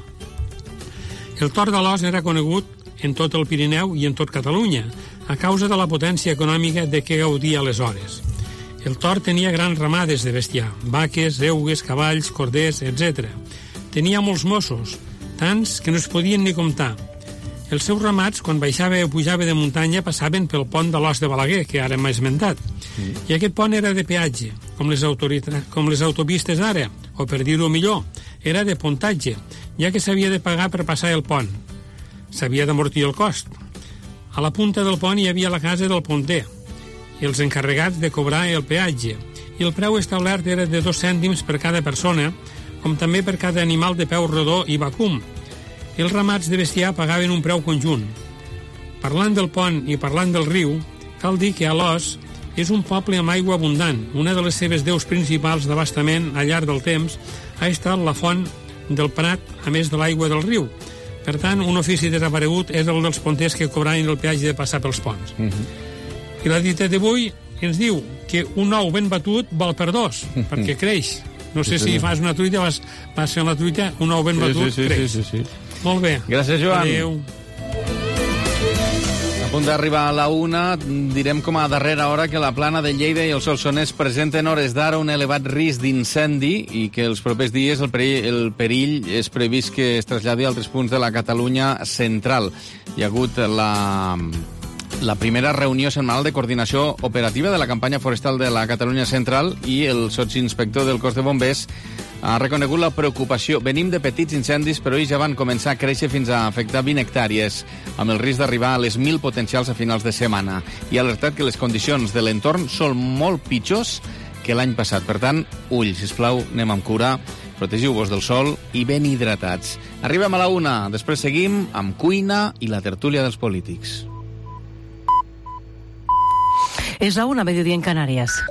El Tord de l'Os era conegut en tot el Pirineu i en tot Catalunya, a causa de la potència econòmica de què gaudia aleshores. El Tord tenia grans ramades de bestiar, vaques, eugues, cavalls, corders, etc. Tenia molts mossos, tants que no es podien ni comptar. Els seus ramats, quan baixava o pujava de muntanya, passaven pel pont de l'Os de Balaguer, que ara m'ha esmentat. I aquest pont era de peatge, com les autopistes d'ara, o per dir-ho millor, era de pontatge, ja que s'havia de pagar per passar el pont. S'havia d'amortir el cost. A la punta del pont hi havia la casa del ponter i els encarregats de cobrar el peatge, i el preu establert era de 2 cèntims per cada persona, com també per cada animal de peu rodó i vacum. Els ramats de bestiar pagaven un preu conjunt. Parlant del pont i parlant del riu, cal dir que Alòs és un poble amb aigua abundant. Una de les seves deus principals d'abastament al llarg del temps ha estat la font del Prat, a més de l'aigua del riu. Per tant, un ofici desaparegut és el dels ponters que cobraven el peatge de passar pels ponts. I la dita d'avui ens diu que un ou ben batut val per 2, perquè creix No sé si fas una truita, vas fent la truita, un ou ben batut, sí. Molt bé. Gràcies, Joan. Adéu. A punt d'arribar a la 1, direm com a darrera hora que la Plana de Lleida i el Solsonès presenten hores d'ara un elevat risc d'incendi i que els propers dies el perill és previst que es traslladi a altres punts de la Catalunya central. Hi ha hagut la primera reunió setmanal de coordinació operativa de la campanya forestal de la Catalunya central i el sotsinspector del cos de bombers ha reconegut la preocupació. Venim de petits incendis, però ells ja van començar a créixer fins a afectar 20 hectàrees, amb el risc d'arribar a les 1.000 potencials a finals de setmana. I ha alertat que les condicions de l'entorn són molt pitjors que l'any passat. Per tant, ull, sisplau, anem amb cura, protegiu-vos del sol i ben hidratats. Arribem a la 1, després seguim amb cuina i la tertúlia dels polítics. Es la 1, mediodía en Canarias.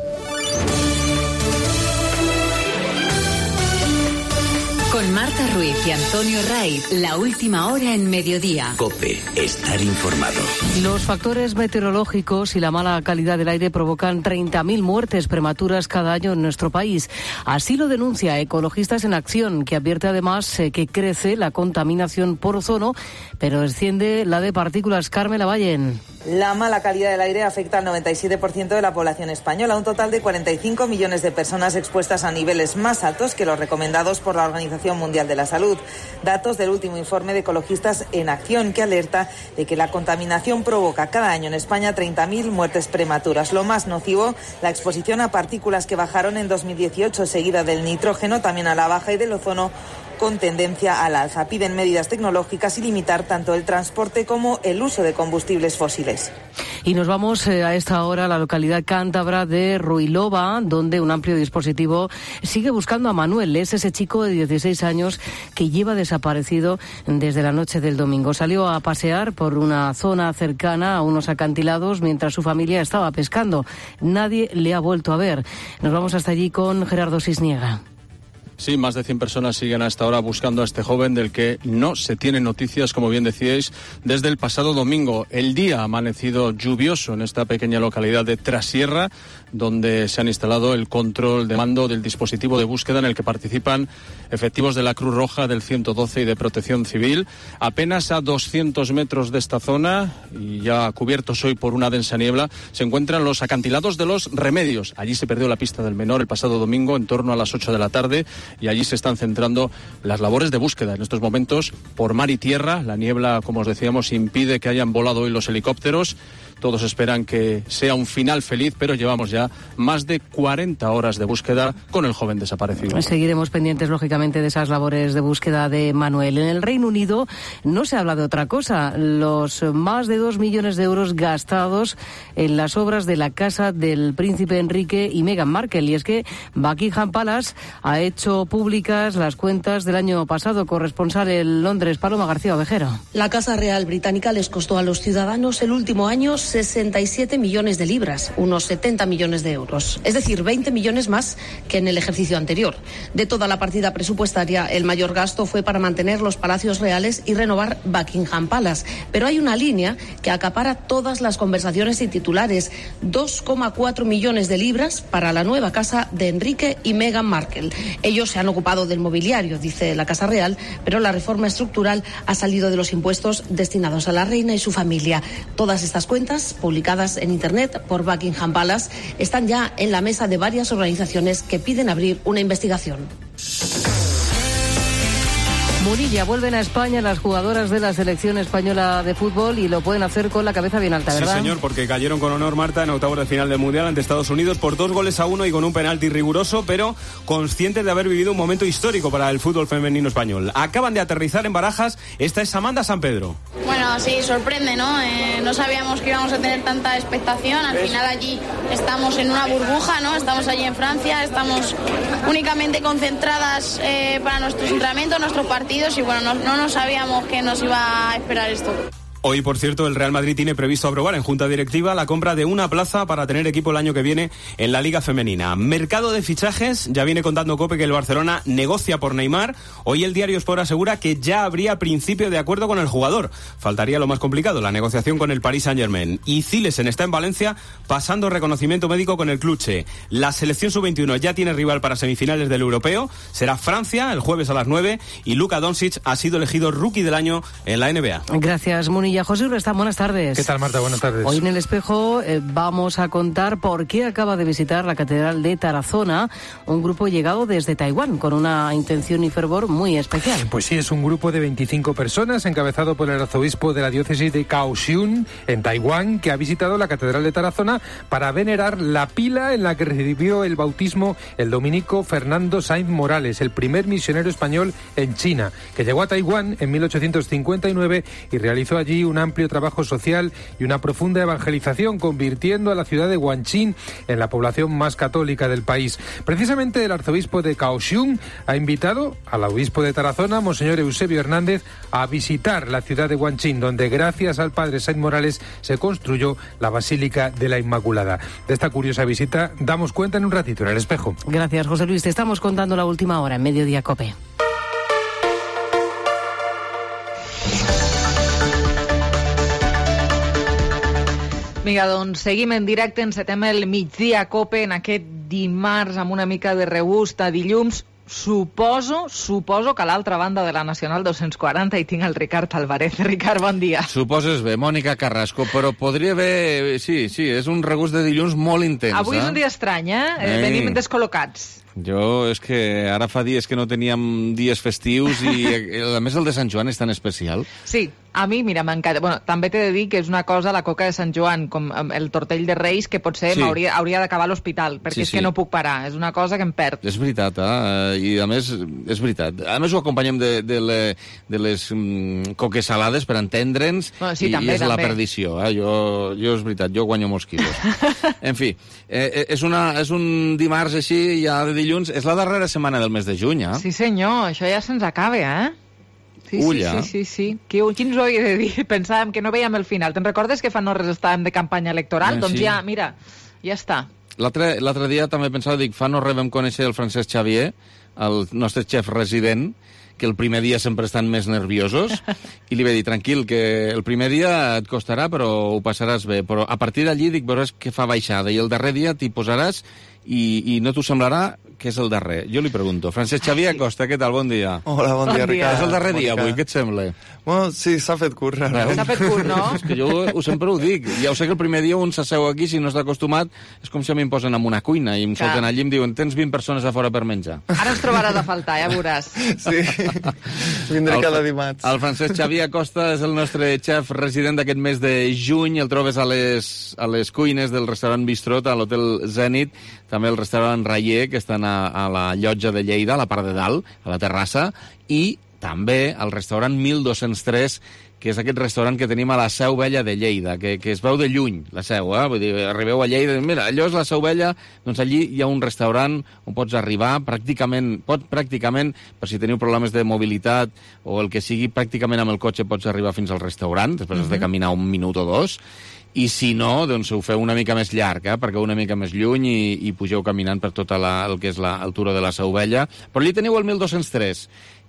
Con Marta Ruiz y Antonio Raiz, la última hora en mediodía. COPE, estar informado. Los factores meteorológicos y la mala calidad del aire provocan 30.000 muertes prematuras cada año en nuestro país. Así lo denuncia Ecologistas en Acción, que advierte además que crece la contaminación por ozono, pero desciende la de partículas. Carmen Lavallen. La mala calidad del aire afecta al 97% de la población española, un total de 45 millones de personas expuestas a niveles más altos que los recomendados por la Organización Mundial de la Salud. Datos del último informe de Ecologistas en Acción, que alerta de que la contaminación provoca cada año en España 30.000 muertes prematuras. Lo más nocivo, la exposición a partículas que bajaron en 2018, seguida del nitrógeno, también a la baja, y del ozono, con tendencia al alza. Piden medidas tecnológicas y limitar tanto el transporte como el uso de combustibles fósiles. Y nos vamos a esta hora a la localidad cántabra de Ruilova, donde un amplio dispositivo sigue buscando a Manuel. Es ese chico de 16 años que lleva desaparecido desde la noche del domingo. Salió a pasear por una zona cercana a unos acantilados mientras su familia estaba pescando. Nadie le ha vuelto a ver. Nos vamos hasta allí con Gerardo Cisniega. Sí, más de 100 personas siguen a esta hora buscando a este joven del que no se tienen noticias, como bien decíais, desde el pasado domingo. El día ha amanecido lluvioso en esta pequeña localidad de Trasierra, donde se han instalado el control de mando del dispositivo de búsqueda en el que participan efectivos de la Cruz Roja, del 112 y de Protección Civil. Apenas a 200 metros de esta zona, y ya cubiertos hoy por una densa niebla, se encuentran los acantilados de Los Remedios. Allí se perdió la pista del menor el pasado domingo en torno a las 8 de la tarde y allí se están centrando las labores de búsqueda en estos momentos por mar y tierra. La niebla, como os decíamos, impide que hayan volado hoy los helicópteros. Todos esperan que sea un final feliz, pero llevamos ya más de 40 horas de búsqueda con el joven desaparecido. Seguiremos pendientes, lógicamente, de esas labores de búsqueda de Manuel. En el Reino Unido no se habla de otra cosa. Los más de 2 millones de euros gastados en las obras de la casa del príncipe Enrique y Meghan Markle. Y es que Buckingham Palace ha hecho públicas las cuentas del año pasado. Corresponsal en Londres, Paloma García Ovejero. La Casa Real Británica les costó a los ciudadanos el último año 67 millones de libras, unos 70 millones de euros. Es decir, 20 millones más que en el ejercicio anterior. De toda la partida presupuestaria, el mayor gasto fue para mantener los palacios reales y renovar Buckingham Palace. Pero hay una línea que acapara todas las conversaciones y titulares. 2,4 millones de libras para la nueva casa de Enrique y Meghan Markle. Ellos se han ocupado del mobiliario, dice la Casa Real, pero la reforma estructural ha salido de los impuestos destinados a la reina y su familia. Todas estas cuentas, publicadas en Internet por Buckingham Palace, están ya en la mesa de varias organizaciones que piden abrir una investigación. Munilla, vuelven a España las jugadoras de la selección española de fútbol y lo pueden hacer con la cabeza bien alta, ¿verdad? Sí, señor, porque cayeron con honor, Marta, en octavos de final del Mundial ante Estados Unidos por 2-1 y con un penalti riguroso, pero conscientes de haber vivido un momento histórico para el fútbol femenino español. Acaban de aterrizar en Barajas. Esta es Amanda Sampedro. Bueno, sí, sorprende, ¿no? No sabíamos que íbamos a tener tanta expectación. Al final allí estamos en una burbuja, ¿no? Estamos allí en Francia, estamos únicamente concentradas para nuestros entrenamientos, nuestros partidos, y bueno, no sabíamos que nos iba a esperar esto. Hoy, por cierto, el Real Madrid tiene previsto aprobar en Junta Directiva la compra de una plaza para tener equipo el año que viene en la Liga Femenina. Mercado de fichajes, ya viene contando COPE que el Barcelona negocia por Neymar. Hoy el diario Sport asegura que ya habría principio de acuerdo con el jugador. Faltaría lo más complicado, la negociación con el Paris Saint-Germain. Y Zilesen está en Valencia pasando reconocimiento médico con el Cluche. La selección sub-21 ya tiene rival para semifinales del Europeo. Será Francia el jueves a las 9 y Luka Doncic ha sido elegido Rookie del Año en la NBA. Gracias, Munilla. José Urrestán, buenas tardes. ¿Qué tal, Marta? Buenas tardes. Hoy en El Espejo vamos a contar por qué acaba de visitar la Catedral de Tarazona un grupo llegado desde Taiwán con una intención y fervor muy especial. Pues sí, es un grupo de 25 personas encabezado por el arzobispo de la diócesis de Kaohsiung, en Taiwán, que ha visitado la Catedral de Tarazona para venerar la pila en la que recibió el bautismo el dominico Fernando Sáenz Morales, el primer misionero español en China, que llegó a Taiwán en 1859 y realizó allí un amplio trabajo social y una profunda evangelización, convirtiendo a la ciudad de Guanchín en la población más católica del país. Precisamente el arzobispo de Kaohsiung ha invitado al obispo de Tarazona, Monseñor Eusebio Hernández, a visitar la ciudad de Guanchín, donde gracias al padre Sáenz Morales se construyó la Basílica de la Inmaculada. De esta curiosa visita damos cuenta en un ratito en El Espejo. Gracias, José Luis. Te estamos contando la última hora en Mediodía COPE. Vinga, doncs seguim en directe, encetem el migdia COPE en aquest dimarts amb una mica de regust a dilluns. Suposo que a l'altra banda de la Nacional 240 hi tinc el Ricard Álvarez. Ricard, bon dia. Suposes bé, Mònica Carrasco, però podria haver... Sí, és un regust de dilluns molt intens. Avui és un dia estrany, Venim descol·locats. Jo, és que ara fa dies que no teníem dies festius i a més el de Sant Joan és tan especial. Sí, a mi, mira, m'encanta. Bueno, també t'he de dir que és una cosa, la coca de Sant Joan, com el tortell de Reis, que potser hauria d'acabar a l'hospital, perquè és que no puc parar. És una cosa que em perd. És veritat, i a més, és veritat. A més ho acompanyem de les coques salades per entendre'ns, i és la perdició. Jo, és veritat, jo guanyo molts quilos. En fi, és un dimarts així, ja de dilluns, és la darrera setmana del mes de juny, Sí, senyor, això ja se'ns acaba, Sí. Qui ens ho havia de dir? Pensàvem que no veiem el final. Te'n recordes que fa no res estàvem de campanya electoral? Doncs ja, mira, ja està. L'altre dia també pensava, fa no res vam conèixer el Francesc Xavier, el nostre xef resident, que el primer dia sempre estan més nerviosos, i li vaig dir, tranquil, que el primer dia et costarà, però ho passaràs bé. Però a partir d'allí dic, veuràs que fa baixada, i el darrer dia t'hi posaràs i no t'ho semblarà que és el darrer. Jo li pregunto. Francesc Xavier Acosta, què tal? Bon dia. Hola, bon dia, Ricard. És el darrer dia avui, què et sembla? Bueno, sí, s'ha fet curt. S'ha fet curt, no? És que jo sempre ho dic. Ja ho sé que el primer dia un s'asseu aquí, si no està acostumat, és com si a mi em posen en una cuina i em solten allí i em diuen, tens 20 persones a fora per menjar. Ara ens trobaràs a faltar, ja veuràs. Sí, vindré cada dimarts. El Francesc Xavier Acosta és el nostre xef resident d'aquest mes de juny. El trobes a les cuines del restaurant Bistrot, a l'Hotel Zenit, també el restaurant Rayer, que estan a la llotja de Lleida, a la part de dalt, a la terrassa, i també al restaurant 1203, que és aquest restaurant que tenim a la Seu Vella de Lleida, que es veu de lluny, la Seu, Vull dir, arribeu a Lleida, mira, allò és la Seu Vella, doncs allí hi ha un restaurant on pots arribar pràcticament, per si teniu problemes de mobilitat o el que sigui, pràcticament amb el cotxe pots arribar fins al restaurant, després has de caminar un minut o dos, i si no, doncs ho feu una mica més llarg, perquè una mica més lluny i pugeu caminant per tot el que és el turó de la Seu Vella. Però allí teniu el 1203,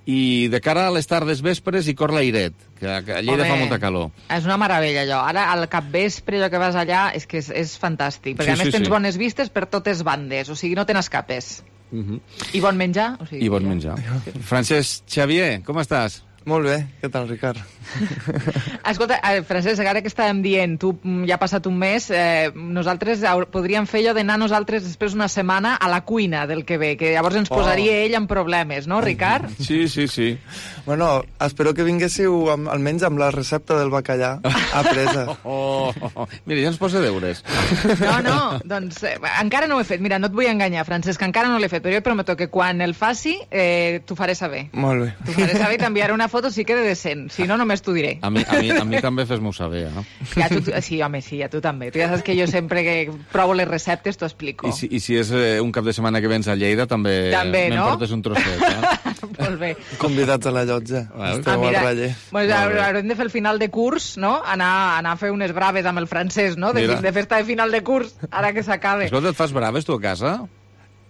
i de cara a les tardes vespres hi cor l'airet, que a Lleida fa molta calor. És una meravella, allò. Ara, al capvespre, allò que vas allà, és que és fantàstic, perquè a més tens bones vistes per totes bandes, o sigui, no te n'escapes. I bon menjar. I bon menjar. Francesc Xavier, com estàs? Molt bé, què tal, Ricard? Escolta, Francesc, ara que estàvem dient, tu ja ha passat un mes, nosaltres podríem fer allò d'anar nosaltres després una setmana a la cuina del que ve, que llavors ens posaria ell en problemes, no, Ricard? Sí. Bueno, espero que vinguéssiu almenys amb la recepta del bacallà apresa. Mira, ja ens posa deures. No, doncs encara no ho he fet. Mira, no et vull enganyar, Francesc, encara no l'he fet, però jo prometo que quan el faci t'ho faré saber. Molt bé. T'ho faré saber i t'enviaré una foto sí que de decent, si no, només t'ho diré. A mi també fes-m'ho saber, eh? Ja sí, home, sí, a tu també. Tu ja saps que jo sempre que provo les receptes t'ho explico. I si és un cap de setmana que vens a Lleida, també m'emportes un trosset, eh? Molt bé. Convidats a la llotja. Esteu al Raller. Haurem de fer el final de curs, no? Anar a fer unes braves amb el francès, no? De festa de final de curs, ara que s'acabe. Escolta, et fas braves tu a casa?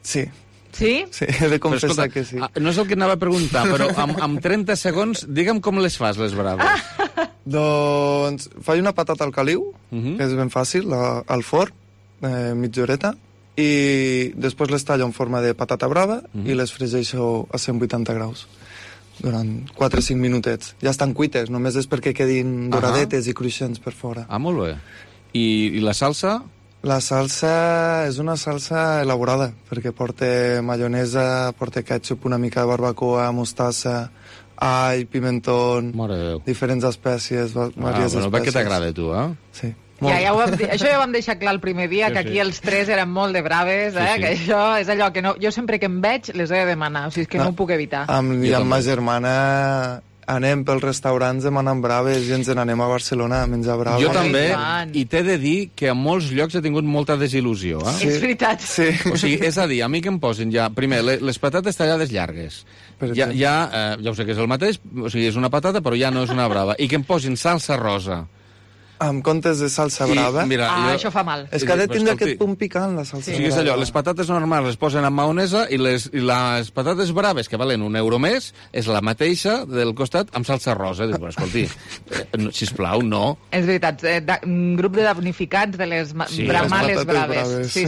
Sí. Sí? Sí, he de confessar que sí. No és el que anava a preguntar, però amb 30 segons, digue'm com les fas, les braves. Doncs faig una patata al caliu, que és ben fàcil, al forn, mitja horeta, i després les tallo en forma de patata brava i les fregeixo a 180 graus durant 4 o 5 minutets. Ja estan cuites, només és perquè quedin doradetes i cruixents per fora. Ah, molt bé. I la salsa? La salsa és una salsa elaborada, perquè porta maionesa, porta ketchup, una mica de barbacoa, mostassa, all, pimentón, diferents espècies, diverses espècies. Va que t'agrada, tu, eh? Sí. Això ja ho vam deixar clar el primer dia, que aquí els tres eren molt de braves, que això és allò que no... Jo sempre que em veig les he de demanar, o sigui, és que no ho puc evitar. Amb ma germana anem pels restaurants demanant braves i ens n'anem a Barcelona a menjar braves. Jo també, i t'he de dir que a molts llocs he tingut molta desil·lusió. Sí. És veritat. Sí. O sigui, és a dir, a mi que em posin ja... Primer, les patates tallades llargues. Ja ho sé que és el mateix, o sigui, és una patata, però ja no és una brava. I que em posin salsa rosa. En comptes de salsa brava... Això fa mal. És que ha de tindre aquest punt picant, la salsa brava. O sigui, és allò, les patates normals les posen amb maonesa i les patates braves, que valen €1 més, és la mateixa del costat amb salsa rosa. Dius, escolti, sisplau, no. És veritat, un grup de damnificats de les males braves. Sí.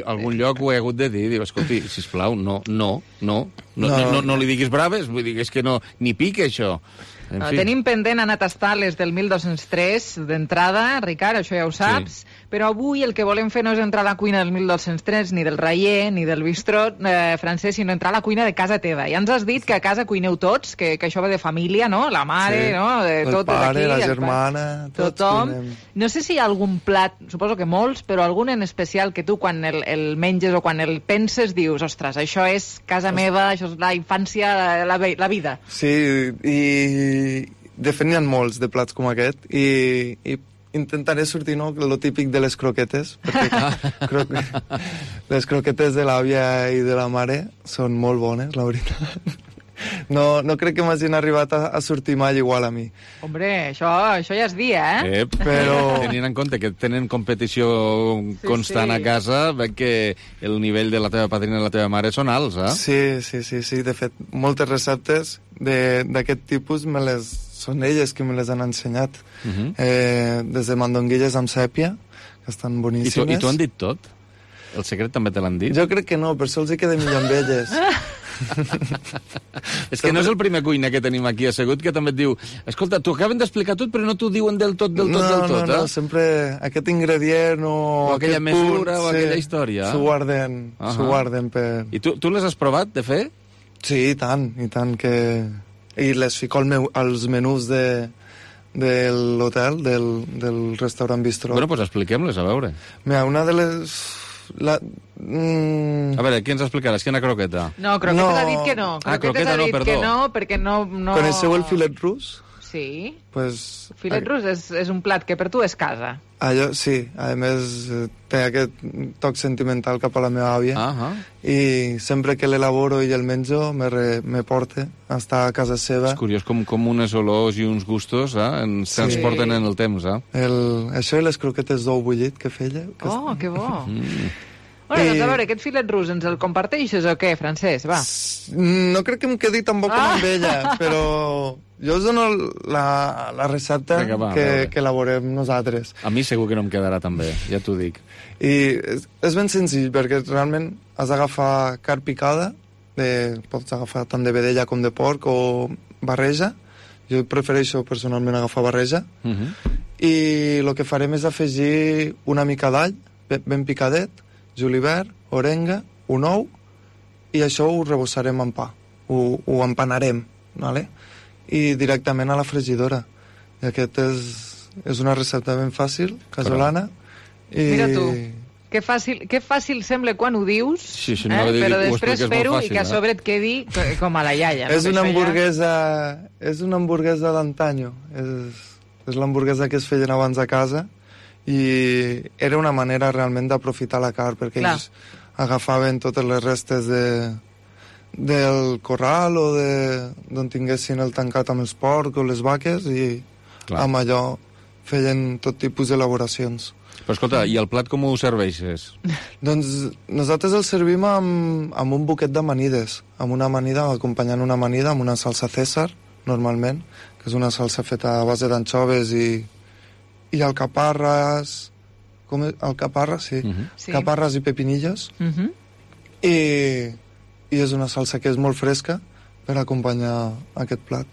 Algun lloc ho he hagut de dir. Diu, escolti, sisplau, no li diguis braves, vull dir, és que ni pica això. Tenim pendent anar a tastar les del 1203 d'entrada, Ricard, això ja ho saps, però avui el que volem fer no és entrar a la cuina del 1203, ni del Raller, ni del bistró francès, sinó entrar a la cuina de casa teva. Ja ens has dit que a casa cuineu tots, que això va de família, no? La mare, no? El pare, la germana, tothom. No sé si hi ha algun plat, suposo que molts, però algun en especial que tu quan el menges o quan el penses dius, ostres, això és casa meva, això és la infància, la vida. Sí, i de fet n'hi ha molts de plats com aquest i intentaré sortir, no?, lo típic de les croquetes, perquè les croquetes de l'àvia i de la mare són molt bones, la veritat. No crec que m'hagin arribat a sortir mai igual a mi. Hombre, això ja és dir, eh? Però tenint en compte que tenen competició constant a casa, veig que el nivell de la teva padrina i la teva mare són alts, eh? Sí. De fet, moltes receptes d'aquest tipus són elles que me les han ensenyat. Des de mandonguilles amb sèpia, que estan boníssimes. I t'ho han dit tot? El secret també te l'han dit? Jo crec que no, per això els hi queda millor amb elles. És que no és el primer cuiner que tenim aquí assegut que també et diu, escolta, t'ho acaben d'explicar tot però no t'ho diuen del tot, No, sempre aquest ingredient o aquella mesura o aquella història. S'ho guarden per... I tu les has provat de fer? Sí, i tant que... I les fico als menús de l'hotel, del restaurant bistró. Bueno, doncs expliquem-les, a veure. Mira, una de les... A veure, qui ens explicaràs? Quina croqueta? No, croqueta ha dit que no. Croqueta no, perdó. Que no, perquè no... Coneixeu el filet rus? Sí. Pues, filet rus és un plat que per tu és casa. Allò, sí. A més, té aquest toc sentimental cap a la meva àvia. I sempre que l'elaboro i el menjo, me porta a estar a casa seva. És curiós com unes olors i uns gustos ens transporten en el temps. Això i les croquetes d'ou bullit que feia. Oh, que bo! Bueno, doncs a veure, aquest filet rus ens el comparteixes o què, Francesc? Va. No crec que em quedi tan bo com amb ella, però jo us dono la recepta que elaborem nosaltres. A mi segur que no em quedarà tan bé, ja t'ho dic. I és ben senzill, perquè realment has d'agafar carn picada, pots agafar tant de vedella com de porc o barreja. Jo prefereixo personalment agafar barreja. I el que farem és afegir una mica d'all, ben picadet, julivert, orenga, un ou, i això ho rebossarem en pa, ho empanarem, ¿vale? I directament a la fregidora. I aquest és una recepta ben fàcil, casolana. Mira tu. Que fàcil sembla quan ho dius, sí, però després fer-ho i que a sobre et quedi com a la iaia. És una hamburguesa d'antanyo. És l'hamburguesa que es feien abans a casa i era una manera realment d'aprofitar la carn, perquè ells agafaven totes les restes del corral o d'on tinguessin el tancat amb els porcs o les vaques i amb allò feien tot tipus d'elaboracions. Però escolta, i el plat com ho serveixes? Doncs nosaltres el servim amb un buquet d'amanides, amb una amanida, acompanyant una amanida amb una salsa César, normalment, que és una salsa feta a base d'anxoves i alcaparres, alcaparres, sí. Caparres i pepinillos, i és una salsa que és molt fresca per acompanyar aquest plat.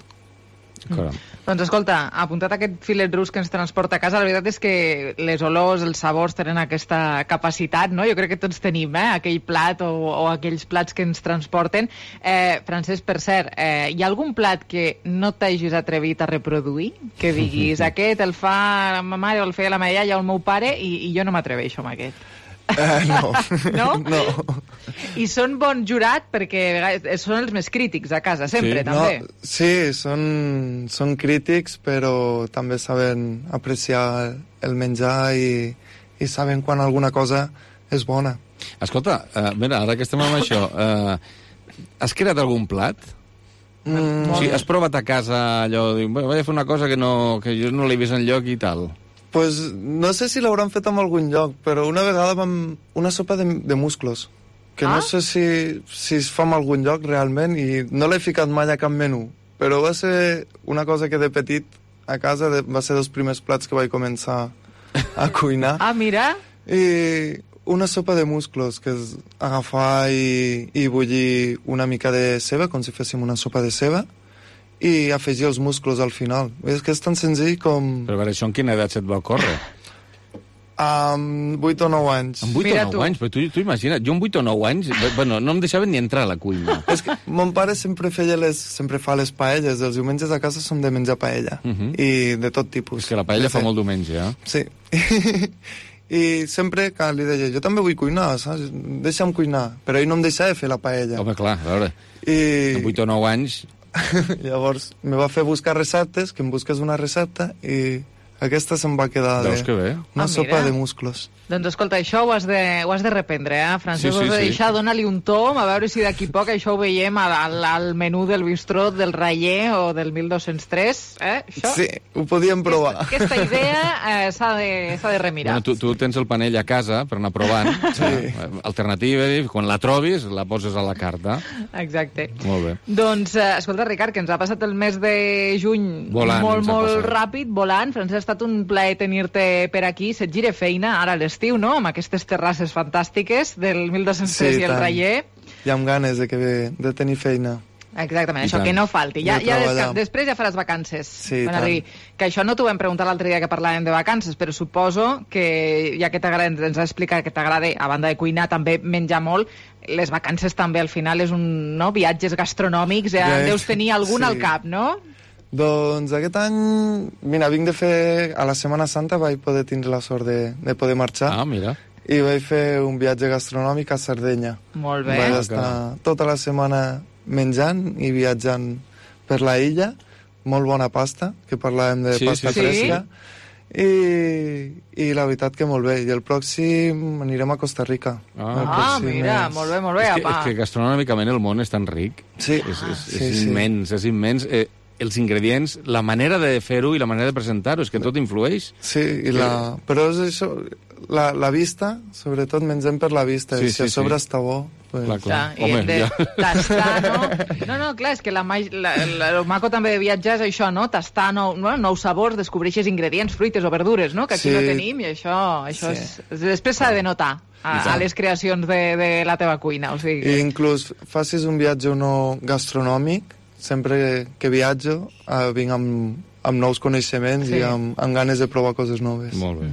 Doncs escolta, apuntat aquest filet rus que ens transporta a casa, la veritat és que les olors, els sabors tenen aquesta capacitat, no? Jo crec que tots tenim aquell plat o aquells plats que ens transporten. Francesc, per cert, hi ha algun plat que no t'hagis atrevit a reproduir? Que diguis, aquest el fa ma mare o el feia la meva iaia o el meu pare i jo no m'atreveixo amb aquest. No. No? I són bon jurat perquè són els més crítics a casa, sempre, també. Sí, són crítics, però també saben apreciar el menjar i saben quan alguna cosa és bona. Escolta, mira, ara que estem amb això, has creat algun plat? Sí, has provat a casa allò, vaig a fer una cosa que jo no l'he vist enlloc i tal. Pues no sé si l'hauran fet en algun lloc, però una vegada vam una sopa de musclos, que no sé si es fa en algun lloc realment i no l'he ficat mai a cap menú, però va ser una cosa que de petit a casa va ser dels primers plats que vaig començar a cuinar. Mira! I una sopa de musclos, que és agafar i bullir una mica de ceba, com si féssim una sopa de ceba, i afegir els musclos al final. És que és tan senzill com... Però a veure, això en quina edat se't va córrer? Amb 8 o 9 anys. Amb 8 o 9 anys? Però tu imagina't, jo amb 8 o 9 anys, bueno, no em deixaven ni entrar a la cuina. És que mon pare sempre fa les paelles. Els diumenges a casa som de menjar paella. I de tot tipus. És que la paella fa molt diumenge, Sí. I sempre que li deia, jo també vull cuinar, saps? Deixa'm cuinar. Però ell no em deixava fer la paella. Home, clar, a veure, amb 8 o 9 anys... Llavors me va fer buscar receptes, que em busques una recepta i aquesta se'm va quedar una sopa de musclos. Doncs escolta, això ho has de reprendre, Francesc? Sí. Ho has de deixar, dona-li un tom, a veure si d'aquí poc això ho veiem al menú del bistrot del Raller o del 1203, Això? Sí, ho podíem provar. Aquesta idea s'ha de remirar. Bueno, tu tens el panell a casa per anar provant. Alternativa, quan la trobis, la poses a la carta. Exacte. Molt bé. Doncs, escolta, Ricard, que ens ha passat el mes de juny molt ràpid, volant. Francesc, ha estat un plaer tenir-te per aquí. Se't gira feina ara a l'estiu, no?, amb aquestes terrasses fantàstiques del 1203 i el Raller. I amb ganes de tenir feina. Exactament, això, que no falti. Després ja faràs vacances. Sí, que això no t'ho vam preguntar l'altre dia que parlàvem de vacances, però suposo que, ja que ens has explicat que t'agrada, a banda de cuinar, també menjar molt, les vacances també al final és viatges gastronòmics, deus tenir algun al cap, no? Doncs aquest any, mira, vinc de fer... A la Setmana Santa vaig poder tindre la sort de poder marxar. Mira. I vaig fer un viatge gastronòmic a Sardenya. Molt bé. Vaig estar tota la setmana menjant i viatjant per la illa. Molt bona pasta, que parlàvem de pasta fresca. I la veritat que molt bé. I el pròxim anirem a Costa Rica. Mira, molt bé. És que gastronòmicament el món és tan ric. Sí. És immens, és immens. Els ingredients, la manera de fer-ho i la manera de presentar-ho, és que tot influeix. Sí, però és això, la vista, sobretot mengem per la vista, i si a sobre està bo... Clar. I hem de tastar, no? No, clar, és que el maco també de viatjar és això, no? Tastar nous sabors, descobreixes ingredients, fruites o verdures, no? Que aquí no tenim, i això després s'ha de notar a les creacions de la teva cuina. I inclús facis un viatge o no gastronòmic, sempre que viatjo vinc amb nous coneixements i amb ganes de provar coses noves. Molt bé.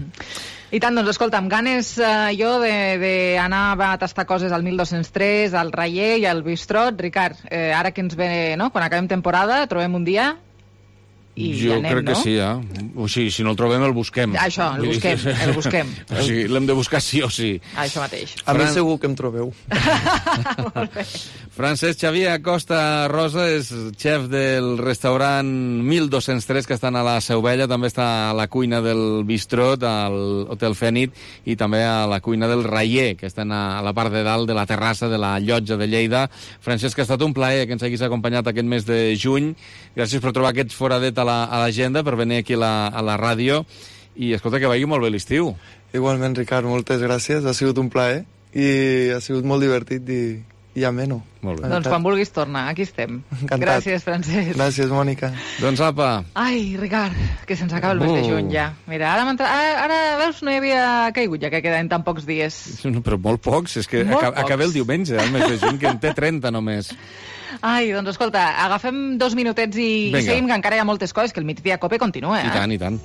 I tant, doncs escolta, amb ganes jo d'anar a tastar coses al 1203, al Raller i al Bistrot. Ricard, ara que ens ve, no?, quan acabem temporada, trobem un dia... i anem, crec que sí, O sigui, si no el trobem, el busquem. Això, el busquem. O sigui, l'hem de buscar sí o sí. Això mateix. A mi segur que em trobeu. Francesc Xavier Acosta Rosa és xef del restaurant 1203, que estan a la Seu Vella, també està a la cuina del Bistrot, al Hotel Fènit, i també a la cuina del Raier, que estan a la part de dalt de la terrassa de la Llotja de Lleida. Francesc, ha estat un plaer que ens haguis acompanyat aquest mes de juny. Gràcies per trobar aquest foradet a l'agenda, per venir aquí a la ràdio, i escolta, que vagi molt bé l'estiu. Igualment, Ricard, moltes gràcies, ha sigut un plaer i ha sigut molt divertit i ameno. Molt bé. Doncs quan vulguis tornar, aquí estem. Encantat. Gràcies, Francesc. Gràcies, Mònica. Doncs apa. Ai, Ricard, que se'ns acaba el mes de juny ja. Mira, ara veus, no hi havia caigut ja que queden tan pocs dies. Però molt pocs, és que acaba el diumenge, el mes de juny, que en té 30 només. Ai, doncs escolta, agafem 2 minutets i seguim, que encara hi ha moltes coses, que el Migdia Cope continua, I tant, i tant.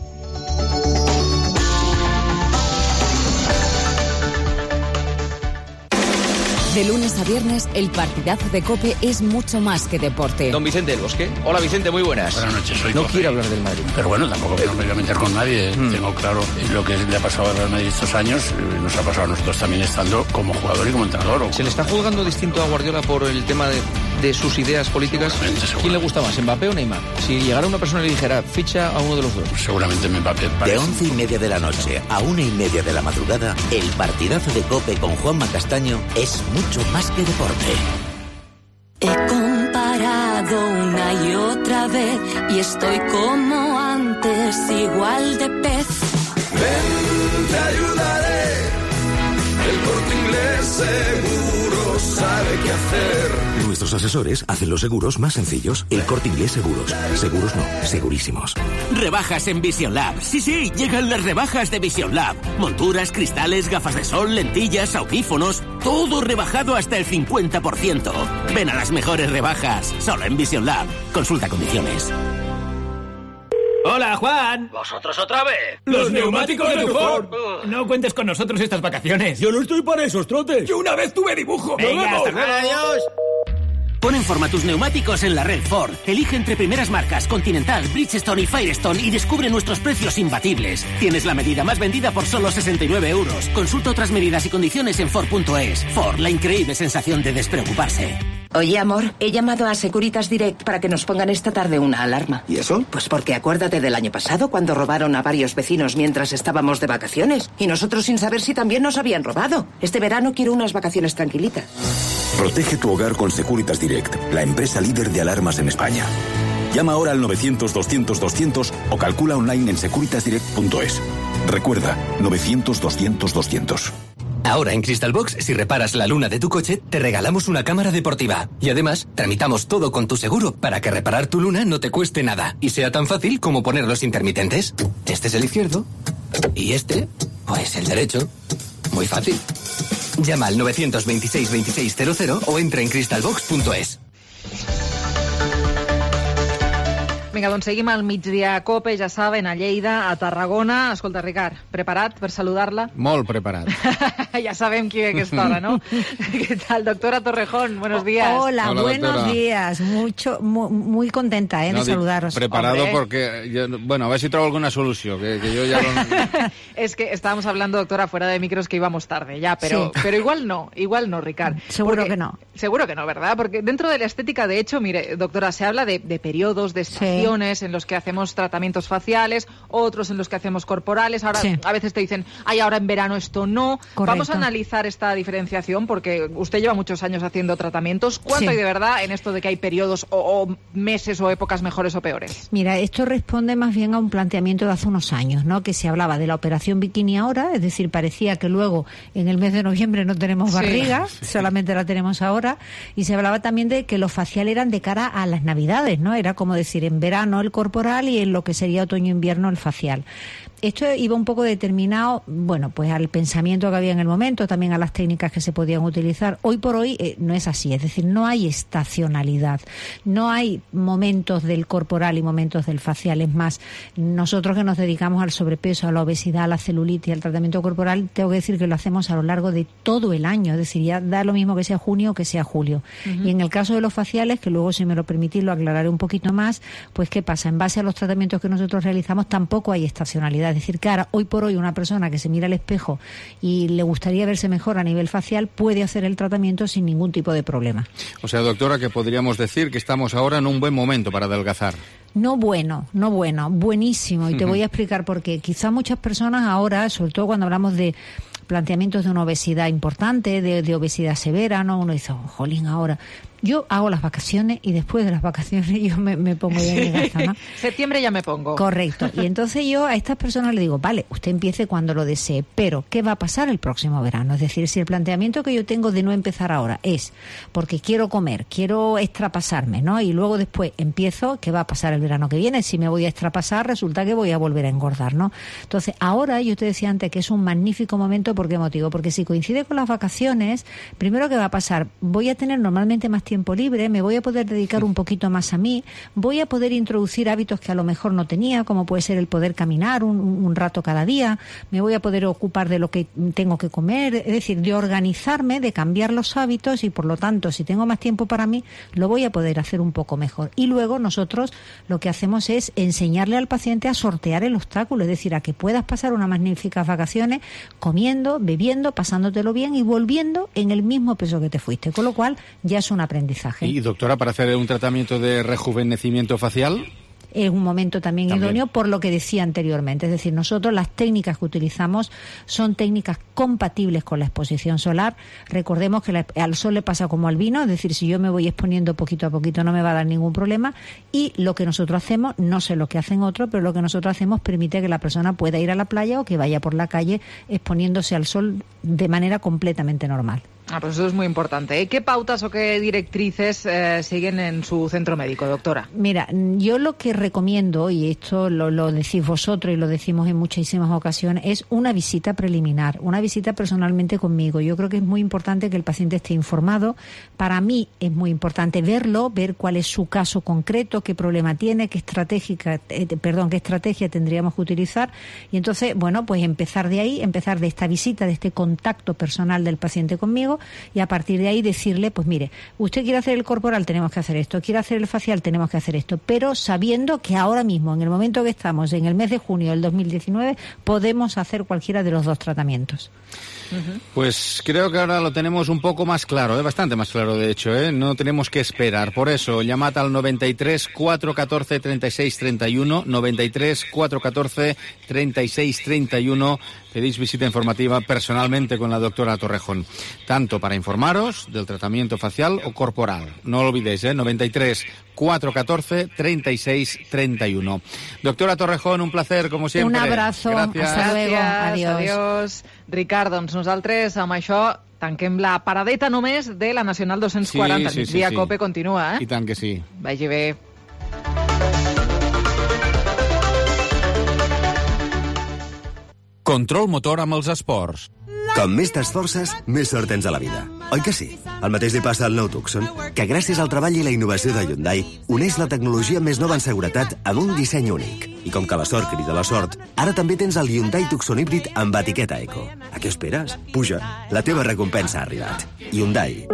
De lunes a viernes, el partidazo de COPE es mucho más que deporte. Don Vicente del Bosque. Hola, Vicente, muy buenas. Buenas noches, soy No COPE. quiero hablar del Madrid. Pero bueno, tampoco me voy a meter con nadie. Tengo claro lo que le ha pasado al Real Madrid estos años. Nos ha pasado a nosotros también estando como jugador y como entrenador. ¿Se le está juzgando distinto a Guardiola por el tema de sus ideas políticas? ¿Quién le gusta más, Mbappé o Neymar? Si llegara una persona y le dijera, ficha a uno de los dos. Seguramente Mbappé. De 11:30 de la noche a 1:30 de la madrugada, el partidazo de COPE con Juanma Castaño es mucho más que deporte. He comparado una y otra vez y estoy como antes, igual de pez. Ven, te ayudaré. El Corte Inglés seguro sabe qué hacer. Nuestros asesores hacen los seguros más sencillos. El Corte Inglés Seguros. Seguros no, segurísimos. Rebajas en Vision Lab. Sí, llegan las rebajas de Vision Lab. Monturas, cristales, gafas de sol, lentillas, audífonos. Todo rebajado hasta el 50%. Ven a las mejores rebajas. Solo en Vision Lab. Consulta condiciones. Hola, Juan. ¿Vosotros otra vez? Los neumáticos de Ford. No cuentes con nosotros estas vacaciones. Yo no estoy para esos trotes. Yo una vez tuve dibujo. Venga, hasta luego. Adiós. Pon en forma tus neumáticos en la red Ford. Elige entre primeras marcas Continental, Bridgestone y Firestone y descubre nuestros precios imbatibles. Tienes la medida más vendida por solo 69 euros. Consulta otras medidas y condiciones en Ford.es. Ford, la increíble sensación de despreocuparse. Oye, amor, he llamado a Securitas Direct para que nos pongan esta tarde una alarma. ¿Y eso? Pues porque acuérdate del año pasado cuando robaron a varios vecinos mientras estábamos de vacaciones. Y nosotros sin saber si también nos habían robado. Este verano quiero unas vacaciones tranquilitas. Protege tu hogar con Securitas Direct, la empresa líder de alarmas en España. Llama ahora al 900-200-200 o calcula online en securitasdirect.es. Recuerda, 900-200-200. Ahora en Crystalbox, si reparas la luna de tu coche, te regalamos una cámara deportiva. Y además, tramitamos todo con tu seguro para que reparar tu luna no te cueste nada y sea tan fácil como poner los intermitentes. Este es el izquierdo y este, pues el derecho. Muy fácil. Llama al 926-2600 o entra en crystalbox.es. Vinga, doncs seguim al Migdia Cope, ja saben, a Lleida, a Tarragona. Escolta, Ricard, preparat per saludar-la? Molt preparat. Ya sabem qui ve a aquesta hora, ¿no? ¿Qué tal, doctora Torrejón? Buenos días. Hola, buenos doctora. Días. Muy contenta de saludaros. Preparado porque, bueno, a ver si traigo alguna solución, que yo ya no... Es que estábamos hablando, doctora, fuera de micros, que íbamos tarde ya, pero igual no, Ricard. Seguro que no. Seguro que no, ¿verdad? Porque dentro de la estética, de hecho, mire, doctora, se habla de periodos, de estaciones en los que hacemos tratamientos faciales, otros en los que hacemos corporales. Ahora, a veces te dicen, ay, ahora en verano esto no. Correcto. Vamos a analizar esta diferenciación porque usted lleva muchos años haciendo tratamientos. ¿Cuánto hay de verdad en esto de que hay periodos o meses o épocas mejores o peores? Mira, esto responde más bien a un planteamiento de hace unos años, ¿no? Que se hablaba de la operación bikini ahora, es decir, parecía que luego en el mes de noviembre no tenemos barriga, solamente la tenemos ahora, y se hablaba también de que lo facial eran de cara a las Navidades, ¿no? Era como decir, en verano el corporal y en lo que sería otoño-invierno el facial. esto iba un poco determinado, bueno, pues al pensamiento que había en el momento, también a las técnicas que se podían utilizar. Hoy por hoy no es así, es decir, no hay estacionalidad, no hay momentos del corporal y momentos del facial. Es más, nosotros que nos dedicamos al sobrepeso, a la obesidad, a la celulitis, al tratamiento corporal, tengo que decir que lo hacemos a lo largo de todo el año, es decir, ya da lo mismo que sea junio o que sea julio. Y en el caso de los faciales, que luego, si me lo permitís, lo aclararé un poquito más, pues ¿qué pasa? En base a los tratamientos que nosotros realizamos tampoco hay estacionalidad. Es decir, que ahora, hoy por hoy, una persona que se mira al espejo y le gustaría verse mejor a nivel facial puede hacer el tratamiento sin ningún tipo de problema. O sea, doctora, que podríamos decir que estamos ahora en un buen momento para adelgazar. No bueno, buenísimo. Y te voy a explicar por qué. Quizá muchas personas ahora, sobre todo cuando hablamos de planteamientos de una obesidad importante, de obesidad severa, ¿no? Uno dice, jolín, ahora... Yo hago las vacaciones y después de las vacaciones yo me pongo bien gaza, ¿no? Septiembre ya me pongo. Correcto. Y entonces yo a estas personas le digo, vale, usted empiece cuando lo desee, pero ¿qué va a pasar el próximo verano? Es decir, si el planteamiento que yo tengo de no empezar ahora es porque quiero comer, quiero extrapasarme, ¿no? Y luego después empiezo, ¿qué va a pasar el verano que viene? Si me voy a extrapasar, resulta que voy a volver a engordar, ¿no? Entonces, ahora yo te decía antes que es un magnífico momento. ¿Por qué motivo? Porque si coincide con las vacaciones, primero, ¿qué va a pasar? Voy a tener normalmente más tiempo libre, me voy a poder dedicar un poquito más a mí, voy a poder introducir hábitos que a lo mejor no tenía, como puede ser el poder caminar un rato cada día, me voy a poder ocupar de lo que tengo que comer, es decir, de organizarme, de cambiar los hábitos y por lo tanto, si tengo más tiempo para mí, lo voy a poder hacer un poco mejor. Y luego nosotros lo que hacemos es enseñarle al paciente a sortear el obstáculo, es decir, a que puedas pasar unas magníficas vacaciones comiendo, bebiendo, pasándotelo bien y volviendo en el mismo peso que te fuiste, con lo cual ya es un aprendizaje. Y doctora, para hacer un tratamiento de rejuvenecimiento facial... Es un momento también idóneo por lo que decía anteriormente. Es decir, nosotros las técnicas que utilizamos son técnicas compatibles con la exposición solar. Recordemos que al sol le pasa como al vino, es decir, si yo me voy exponiendo poquito a poquito no me va a dar ningún problema. Y lo que nosotros hacemos, no sé lo que hacen otros, pero lo que nosotros hacemos permite que la persona pueda ir a la playa o que vaya por la calle exponiéndose al sol de manera completamente normal. Pues eso es muy importante. ¿Qué pautas o qué directrices siguen en su centro médico, doctora? Mira, yo lo que recomiendo, y esto lo decís vosotros y lo decimos en muchísimas ocasiones, es una visita preliminar, una visita personalmente conmigo. Yo creo que es muy importante que el paciente esté informado. Para mí es muy importante verlo, ver cuál es su caso concreto, qué problema tiene, qué estrategia tendríamos que utilizar. Y entonces, bueno, pues empezar de ahí, empezar de esta visita, de este contacto personal del paciente conmigo, y a partir de ahí decirle, pues mire, usted quiere hacer el corporal, tenemos que hacer esto, quiere hacer el facial, tenemos que hacer esto, pero sabiendo que ahora mismo, en el momento que estamos, en el mes de junio del 2019, podemos hacer cualquiera de los dos tratamientos. Pues creo que ahora lo tenemos un poco más claro, bastante más claro de hecho, no tenemos que esperar. Por eso, llamad al 93 414 36 31, 93 414 36 31, pedís visita informativa personalmente con la doctora Torrejón, tanto para informaros del tratamiento facial o corporal. No lo olvidéis, 93 414 36 31. Doctora Torrejón, un placer, como siempre. Un abrazo, Gracias. hasta luego, Adiós. Ricard, doncs nosaltres amb això tanquem la paradeta només de la Nacional 240. Sí. Migdia Cope continua, I tant que sí. Vagi bé. Control motor amb els esports. Com més t'esforces, més sort tens a la vida. Oi que sí? El mateix li passa al nou Tucson, que gràcies al treball i la innovació de Hyundai uneix la tecnologia més nova en seguretat amb un disseny únic. I com que la sort crida la sort, ara també tens el Hyundai Tucson híbrid amb etiqueta Eco. A què esperes? Puja, la teva recompensa ha arribat. Hyundai.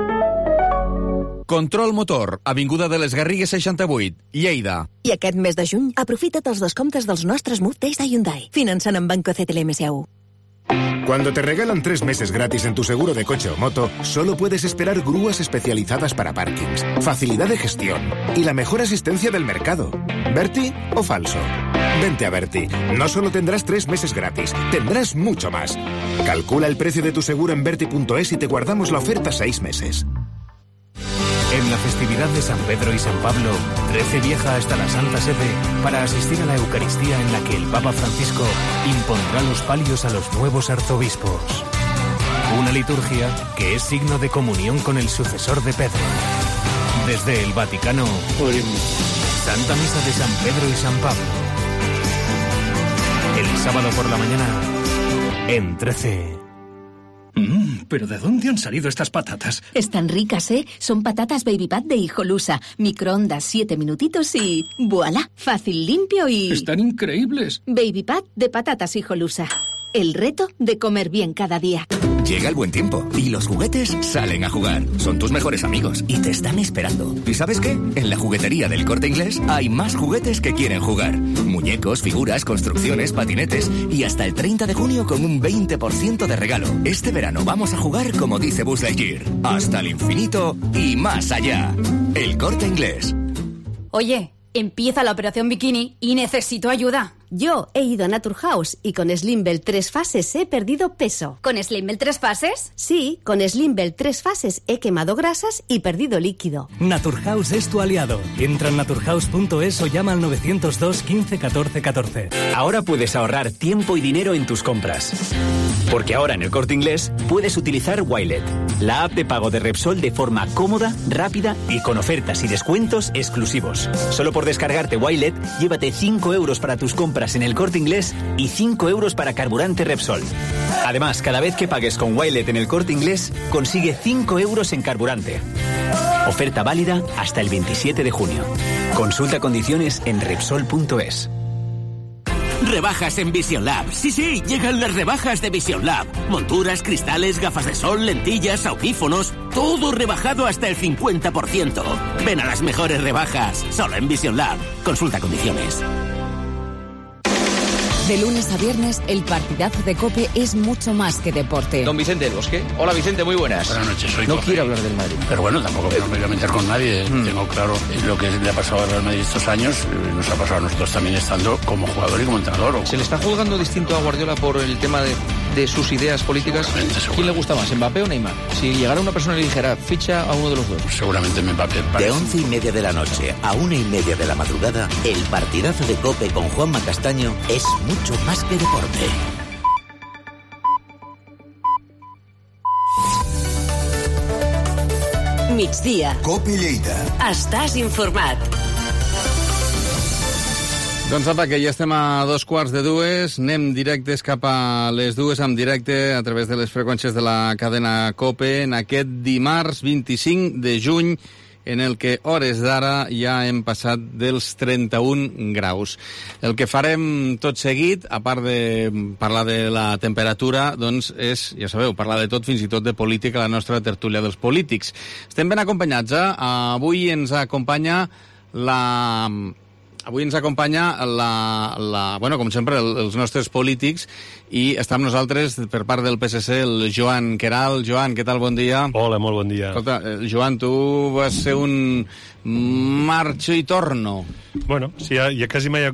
Control motor, avinguda de les Garrigues 68, Lleida. I aquest mes de juny, aprofita't els descomptes dels nostres Move Days de Hyundai, finançant amb Banco CTLM-SAU. Cuando te regalan 3 meses gratis en tu seguro de coche o moto, solo puedes esperar grúas especializadas para parkings, facilidad de gestión y la mejor asistencia del mercado. ¿Berti o falso? Vente a Berti. No solo tendrás 3 meses gratis, tendrás mucho más. Calcula el precio de tu seguro en berti.es y te guardamos la oferta 6 meses. En la festividad de San Pedro y San Pablo, 13 viaja hasta la Santa Sede para asistir a la Eucaristía en la que el Papa Francisco impondrá los palios a los nuevos arzobispos. Una liturgia que es signo de comunión con el sucesor de Pedro. Desde el Vaticano, Santa Misa de San Pedro y San Pablo. El sábado por la mañana, en 13. ¿Pero de dónde han salido estas patatas? Están ricas, ¿eh? Son patatas Baby Pat de Hijolusa. Microondas 7 minutitos y... ¡voilá! Fácil, limpio y... ¡Están increíbles! Baby Pat de patatas Hijolusa. El reto de comer bien cada día. Llega el buen tiempo y los juguetes salen a jugar. Son tus mejores amigos y te están esperando. ¿Y sabes qué? En la juguetería del Corte Inglés hay más juguetes que quieren jugar. Muñecos, figuras, construcciones, patinetes y hasta el 30 de junio con un 20% de regalo. Este verano vamos a jugar como dice Buzz Lightyear. Hasta el infinito y más allá. El Corte Inglés. Oye, empieza la operación bikini y necesito ayuda. Yo he ido a Naturhaus y con Slimbell 3 fases he perdido peso. ¿Con Slimbell 3 fases? Sí, con Slimbell 3 fases he quemado grasas y perdido líquido. Naturhaus es tu aliado. Entra en naturhaus.es o llama al 902 15 14 14. Ahora puedes ahorrar tiempo y dinero en tus compras. Porque ahora en el Corte Inglés puedes utilizar Wilet, la app de pago de Repsol de forma cómoda, rápida y con ofertas y descuentos exclusivos. Solo por descargarte Wilet, llévate 5 euros para tus compras en el Corte Inglés y 5 euros para carburante Repsol. Además, cada vez que pagues con Wilet en el Corte Inglés, consigue 5 euros en carburante. Oferta válida hasta el 27 de junio. Consulta condiciones en Repsol.es. Rebajas en Vision Lab. Sí, llegan las rebajas de Vision Lab. Monturas, cristales, gafas de sol, lentillas, audífonos, todo rebajado hasta el 50%. Ven a las mejores rebajas, solo en Vision Lab. Consulta condiciones. De lunes a viernes, el partidazo de COPE es mucho más que deporte. Don Vicente del Bosque. Hola, Vicente, muy buenas. Buenas noches, soy No COPE. quiero hablar del Madrid. Pero bueno, tampoco me voy a meter con nadie. Tengo claro lo que le ha pasado al Real Madrid estos años. Nos ha pasado a nosotros también estando como jugador y como entrenador. ¿Se le está juzgando distinto a Guardiola por el tema de sus ideas políticas? ¿Quién le gusta más, Mbappé o Neymar? Si llegara una persona y le dijera, ficha a uno de los dos. Seguramente Mbappé. De 11:30 de la noche a 1:30 de la madrugada, el partidazo de COPE con Juanma Castaño es mucho más que deporte. Migdia. COPE Lleida. Estàs informat. Doncs apa, que ja estem a 2:15, anem directes cap a les 2 en directe a través de les freqüències de la cadena COPE en aquest dimarts 25 de juny, en el que hores d'ara ja hem passat dels 31 graus. El que farem tot seguit, a part de parlar de la temperatura, doncs és, ja sabeu, parlar de tot, fins i tot de política, la nostra tertúlia dels polítics. Estem ben acompanyats, Avui ens acompanya bueno, com sempre, els nostres polítics, i està amb nosaltres, per part del PSC, el Joan Queralt. Joan, què tal? Bon dia. Hola, molt bon dia. Escolta, Joan, tu vas ser un marxo i torno. Bueno, sí, ja quasi m'he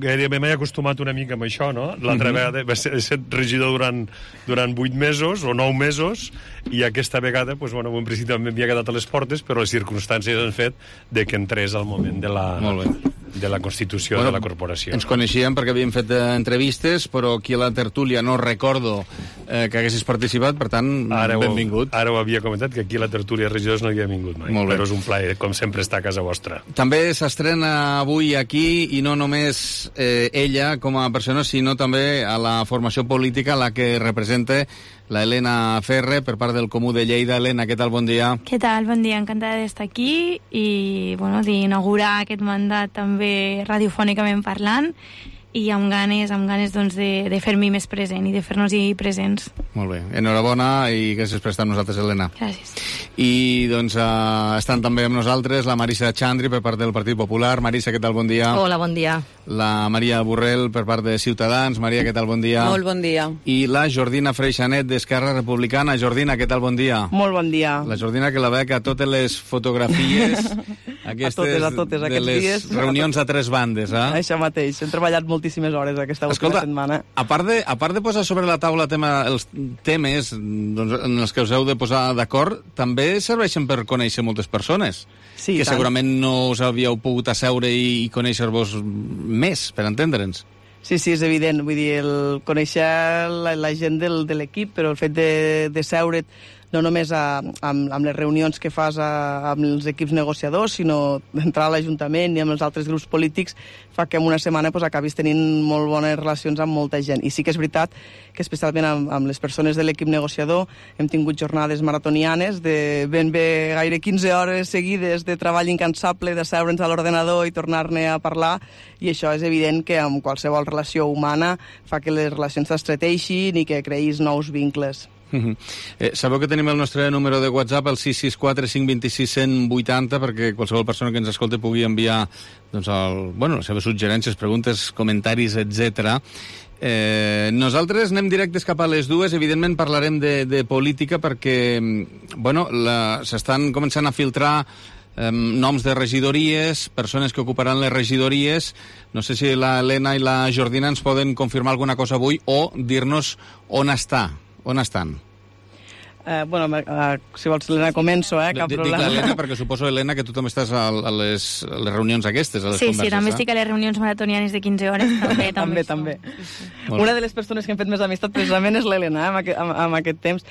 acostumat una mica amb això, no? L'altra vegada he estat regidor durant 8 mesos o 9 mesos, i aquesta vegada, doncs, bueno, en principi m'havia quedat a les portes, però les circumstàncies han fet de que entrés al moment de la constitució de la corporació. Ens coneixíem perquè havíem fet entrevistes, però aquí a la tertúlia no recordo que haguessis participat, per tant, benvingut. Ara ho havia comentat, que aquí a la tertúlia de regidors no havia vingut mai, però és un plaer, com sempre, estar a casa vostra. També s'estrena avui aquí, i no només ella com a persona, sinó també a la formació política, la que representa la Elena Ferre, per part del Comú de Lleida. Elena, què tal? Bon dia. Què tal? Bon dia, encantada d'estar aquí i bueno, d'inaugurar aquest mandat també radiofònicament parlant, i amb ganes doncs, de fer-m'hi més present i de fer-nos-hi presents. Molt bé, enhorabona i gràcies per estar amb nosaltres, Elena. Gràcies. I doncs estan també amb nosaltres la Marisa Xandri per part del Partit Popular. Marisa, què tal? Bon dia. Hola, bon dia. La Maria Borrell per part de Ciutadans. Maria, què tal? Bon dia. Molt bon dia. I la Jordina Freixanet d'Esquerra Republicana. Jordina, què tal? Bon dia. Molt bon dia. La Jordina, que la veig a totes les fotografies aquestes a totes, de les dies, reunions a 3 bandes. Això mateix, hem treballat moltíssimes hores aquesta última setmana. A part de posar sobre la taula els temes doncs, en els que us heu de posar d'acord, també serveixen per conèixer moltes persones, sí, que segurament no us havíeu pogut asseure i conèixer-vos més, per entendre'ns. Sí, és evident, vull dir, conèixer la gent de l'equip, però el fet de seure't no només amb les reunions que fas amb els equips negociadors, sinó d'entrar a l'Ajuntament i amb els altres grups polítics, fa que en una setmana acabis tenint molt bones relacions amb molta gent. I sí que és veritat que especialment amb les persones de l'equip negociador hem tingut jornades maratonianes de ben bé gaire 15 hores seguides de treball incansable, de seure'ns a l'ordenador i tornar-ne a parlar, i això és evident que amb qualsevol relació humana fa que les relacions s'estreteixin i que creïs nous vincles. Sabeu que tenim el nostre número de WhatsApp, el 664 526 180, perquè qualsevol persona que ens escolti pugui enviar les seves suggerències, preguntes, comentaris, etc. Nosaltres anem directes cap a les dues. Evidentment parlarem de política perquè s'estan començant a filtrar noms de regidories, persones que ocuparan les regidories. No sé si la Helena i la Jordina ens poden confirmar alguna cosa avui o dir-nos on estan. Si vols, Helena, començo, cap problema. Dic l'Helena perquè suposo, Helena, que tu també estàs a les reunions aquestes, a les converses. Sí, també estic a les reunions maratonianes de 15 hores. També. Una de les persones que hem fet més amistat precisament és l'Helena, amb aquest temps.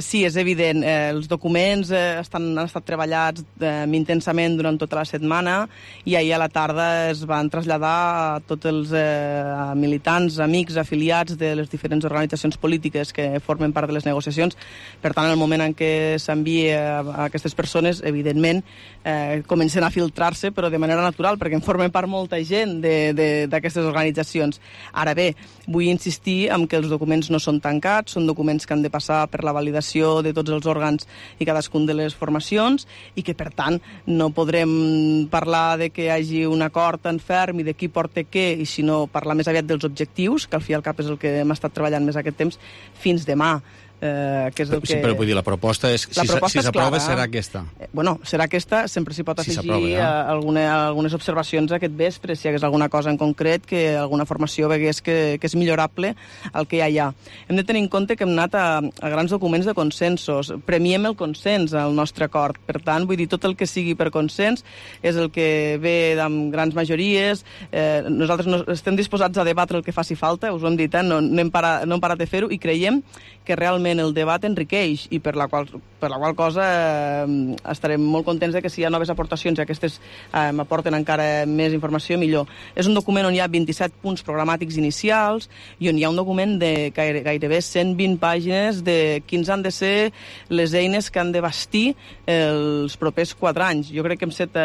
Sí, és evident, els documents han estat treballats intensament durant tota la setmana i ahir a la tarda es van traslladar a tots els militants, amics, afiliats de les diferents organitzacions polítiques que formen part de les negociacions. Per tant, en el moment en què s'envia a aquestes persones, evidentment, comencen a filtrar-se, però de manera natural, perquè en formen part molta gent d'aquestes organitzacions. Ara bé, vull insistir en que els documents no són tancats, són documents que han de passar per la validació de tots els òrgans i cadascun de les formacions, i que, per tant, no podrem parlar de que hi hagi un acord tan ferm i de qui porta què, i sinó parlar més aviat dels objectius, que al fi i al cap és el que hem estat treballant més aquest temps, fins demà. Que és el que... Sí, però vull dir, la proposta és, si s'aprova, serà aquesta. Serà aquesta, sempre s'hi pot afegir algunes observacions aquest vespre, si hi hagués alguna cosa en concret, que alguna formació vegués que és millorable el que ja hi ha. Hem de tenir en compte que hem anat a grans documents de consensos, premiem el consens al nostre acord, per tant, vull dir, tot el que sigui per consens és el que ve amb grans majories. Nosaltres estem disposats a debatre el que faci falta, us ho hem dit, no hem parat de fer-ho, i creiem que realment el debat enriqueix, i per la qual cosa estarem molt contents de que si hi ha noves aportacions i aquestes aporten encara més informació, millor. És un document on hi ha 27 punts programàtics inicials i on hi ha un document de gairebé 120 pàgines de quins han de ser les eines que han de bastir els propers 4 anys. Jo crec que hem set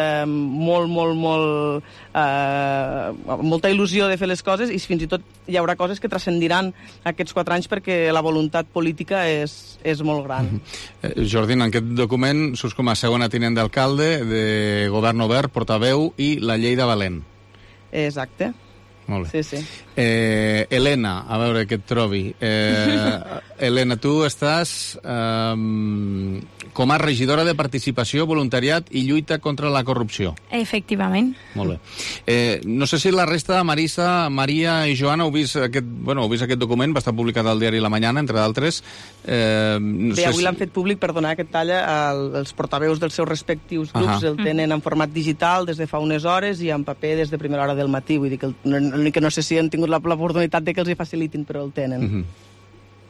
molta il·lusió de fer les coses, i fins i tot hi haurà coses que transcendiran aquests 4 anys perquè la voluntat política és molt gran. Jordina, en aquest document surts com a segona tinent d'alcalde, de govern obert, portaveu i la llei de Valent. Exacte. Molt bé. Sí. Helena, a veure què et trobi. Helena, tu estàs com a regidora de Participació, Voluntariat i Lluita contra la Corrupció. Efectivament. Molt bé. No sé si la resta, Marisa, Maria i Joana, heu vist aquest document, va estar publicat al diari La Mañana, entre d'altres. Bé, avui l'han fet públic, perdona que et talla, els portaveus dels seus respectius grups el tenen en format digital des de fa unes hores i en paper des de primera hora del matí. Vull dir que no sé si han tingut l'oportunitat de que els hi facilitin, però el tenen.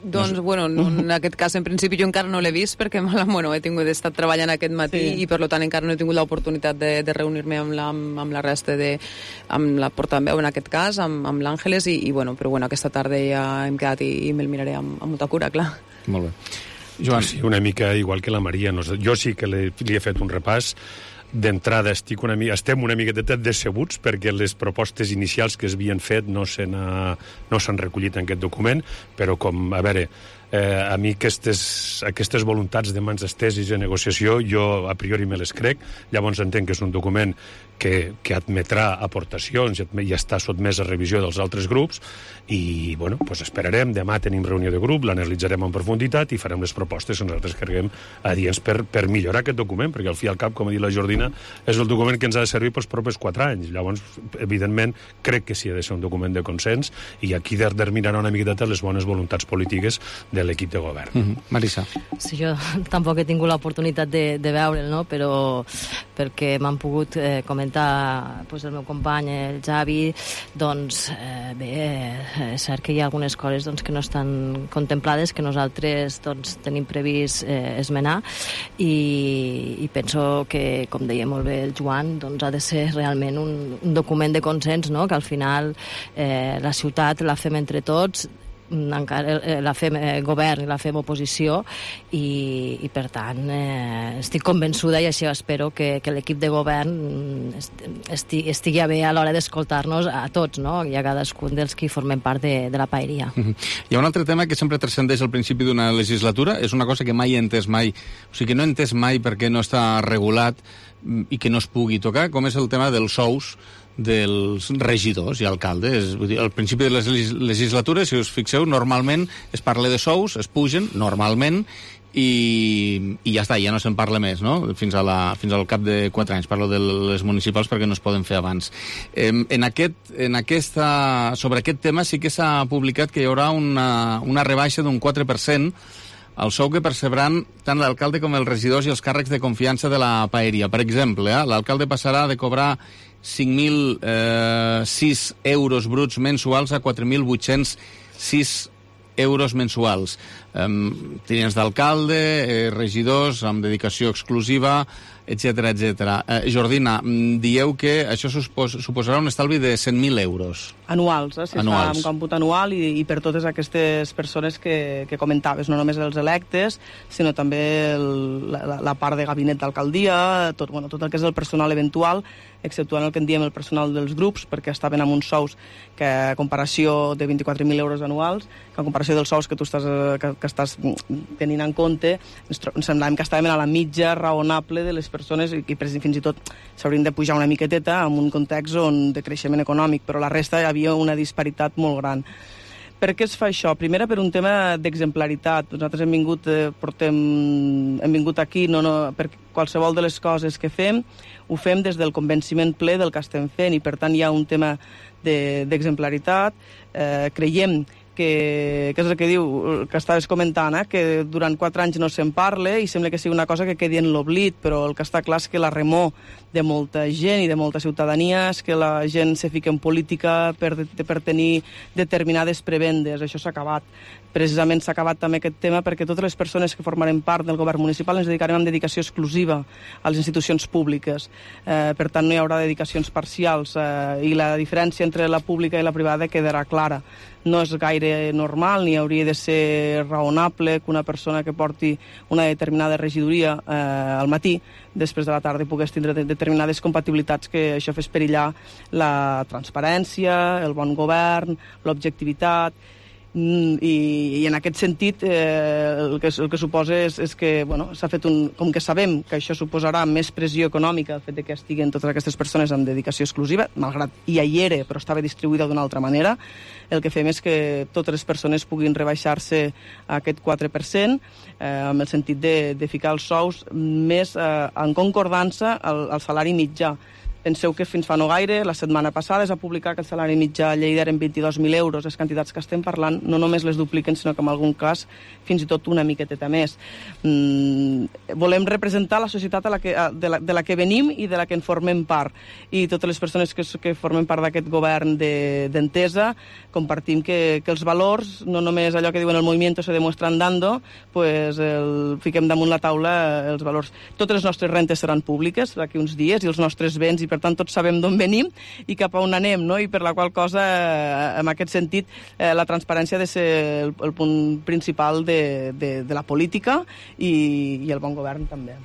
Doncs, en aquest cas, en principi, jo encara no l'he vist perquè he estat treballant aquest matí i, per tant, encara no he tingut l'oportunitat de reunir-me amb la resta amb la portaveu, en aquest cas, amb l'Àngeles, però aquesta tarda ja hem quedat i me'l miraré amb molta cura, clar. Molt bé. Joan. Sí, una mica igual que la Maria. Jo sí que li he fet un repàs. D'entrada estem una miqueta decebuts perquè les propostes inicials que es havien fet no s'han recollit en aquest document, però a mi aquestes voluntats de mans esteses i de negociació jo a priori me les crec. Llavors entenc que és un document que admetrà aportacions i està sotmès a revisió dels altres grups i esperarem, demà tenim reunió de grup, l'analitzarem en profunditat i farem les propostes que nosaltres creguem adients per millorar aquest document, perquè al fi i al cap, com ha dit la Jordina, és el document que ens ha de servir pels propers 4 anys. Llavors, evidentment, crec que sí ha de ser un document de consens i aquí determinarà una miqueta les bones voluntats polítiques de de l'equip de govern. Marisa. Sí, jo tampoc he tingut l'oportunitat de veure'l, no? Però perquè m'han pogut comentar el meu company, el Javi, doncs bé, és cert que hi ha algunes coses que no estan contemplades, que nosaltres tenim previst esmenar, i penso que, com deia molt bé el Joan, ha de ser realment un document de consens, no? Que al final la ciutat la fem entre tots, encara la fem govern i la fem oposició, i per tant estic convençuda, i així espero que l'equip de govern estigui a bé a l'hora d'escoltar-nos a tots, no? I a cadascun dels que formem part de la paeria. Hi ha un altre tema que sempre transcendeix al principi d'una legislatura, és una cosa que mai he entès mai, o sigui que no he entès mai perquè no està regulat i que no es pugui tocar, com és el tema dels sous dels regidors i alcaldes. Vull dir, al principi de les legislatures, si us fixeu, normalment es parla de sous, es pugen, normalment, i ja està, ja no se'n parla més, no? Fins al cap de 4 anys. Parlo de les municipals perquè no es poden fer abans. Sobre aquest tema sí que s'ha publicat que hi haurà una rebaixa d'un 4% el sou que percebran tant l'alcalde com els regidors i els càrrecs de confiança de la paeria. Per exemple, l'alcalde passarà de cobrar 5.006 euros bruts mensuals a 4.806 euros mensuals. Tinents d'alcalde, regidors amb dedicació exclusiva, etc. Jordina, dieu que això suposarà un estalvi de 100.000 euros. Anuals, si es fa un còmput anual, i per totes aquestes persones que comentaves, no només els electes, sinó també la part de gabinet d'alcaldia, tot el que és el personal eventual, exceptuant el que en diem el personal dels grups, perquè estaven amb uns sous que a comparació de 24.000 euros anuals, que a comparació dels sous que tu estàs tenint en compte, ens semblàvem que estàvem a la mitja raonable de les persones, i fins i tot s'haurien de pujar una miqueteta en un context de creixement econòmic, però la resta hi havia una disparitat molt gran. Per què es fa això? Primera, per un tema d'exemplaritat. Nosaltres hem vingut aquí per qualsevol de les coses que fem, ho fem des del convenciment ple del que estem fent, i per tant hi ha un tema d'exemplaritat. Creiem que és el que diu, que estaves comentant, que durant 4 anys no se'n parla i sembla que sigui una cosa que quedi en l'oblit, però el que està clar és que la remor de molta gent i de molta ciutadania és que la gent se fica en política per tenir determinades prebendes. Això s'ha acabat. Precisament s'ha acabat també aquest tema perquè totes les persones que formarem part del govern municipal ens dedicarem amb dedicació exclusiva a les institucions públiques. Per tant, no hi haurà dedicacions parcials, i la diferència entre la pública i la privada quedarà clara. No és gaire normal, ni hauria de ser raonable que una persona que porti una determinada regidoria al matí, després de la tarda pogués tindre determinades compatibilitats, que això fes perillar la transparència, el bon govern, l'objectivitat. I en aquest sentit el que suposa és que s'ha fet com que sabem que això suposarà més pressió econòmica, el fet que estiguen totes aquestes persones amb dedicació exclusiva, malgrat ja hi era però estava distribuïda d'una altra manera, el que fem és que totes les persones puguin rebaixar-se a aquest 4%, amb el sentit de ficar els sous més en concordança al salari mitjà. Penseu que fins fa no gaire, la setmana passada, es va publicar que el salari mitjà a Lleida eren 22.000 euros. Les quantitats que estem parlant no només les dupliquen, sinó que en algun cas fins i tot una miqueteta més. Volem representar la societat de la que venim i de la que en formem part. I totes les persones que formen part d'aquest govern d'entesa compartim que els valors, no només allò que diuen el movimiento se demuestra andando, pues fiquem damunt la taula els valors. Totes les nostres rentes seran públiques d'aquí uns dies, i els nostres béns, i per tant tots sabem d'on venim i cap a on anem, no? I per la qual cosa, en aquest sentit, la transparència ha de ser el punt principal de la política, i el bon govern també.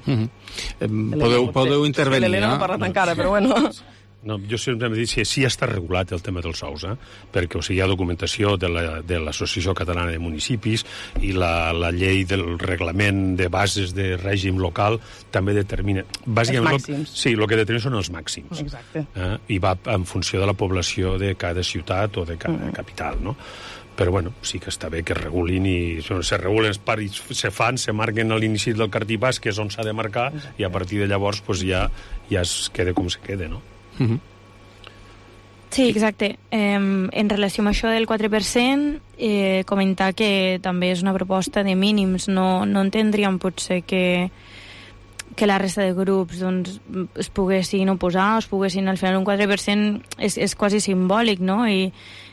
Podeu intervenir. L'Helena no ha parlat encara, però bueno... No, jo sempre he dit que sí està regulat el tema dels sous, perquè hi ha documentació de l'Associació Catalana de Municipis, i la llei del reglament de bases de règim local també determina... Els màxims. Sí, el que determina són els màxims. Exacte. I va en funció de la població de cada ciutat o de cada capital, no? Però, bueno, sí que està bé que es regulin, i se regulen els paris, se marquen a l'inici del cartipàs, que és on s'ha de marcar, i a partir de llavors ja es queda com se queda, no? Sí, exacte. En relació amb això del 4%, comentar que també és una proposta de mínims. No entendríem potser que la resta de grups doncs, es poguessin oposar, es poguessin, al final un 4% és quasi simbòlic, no? I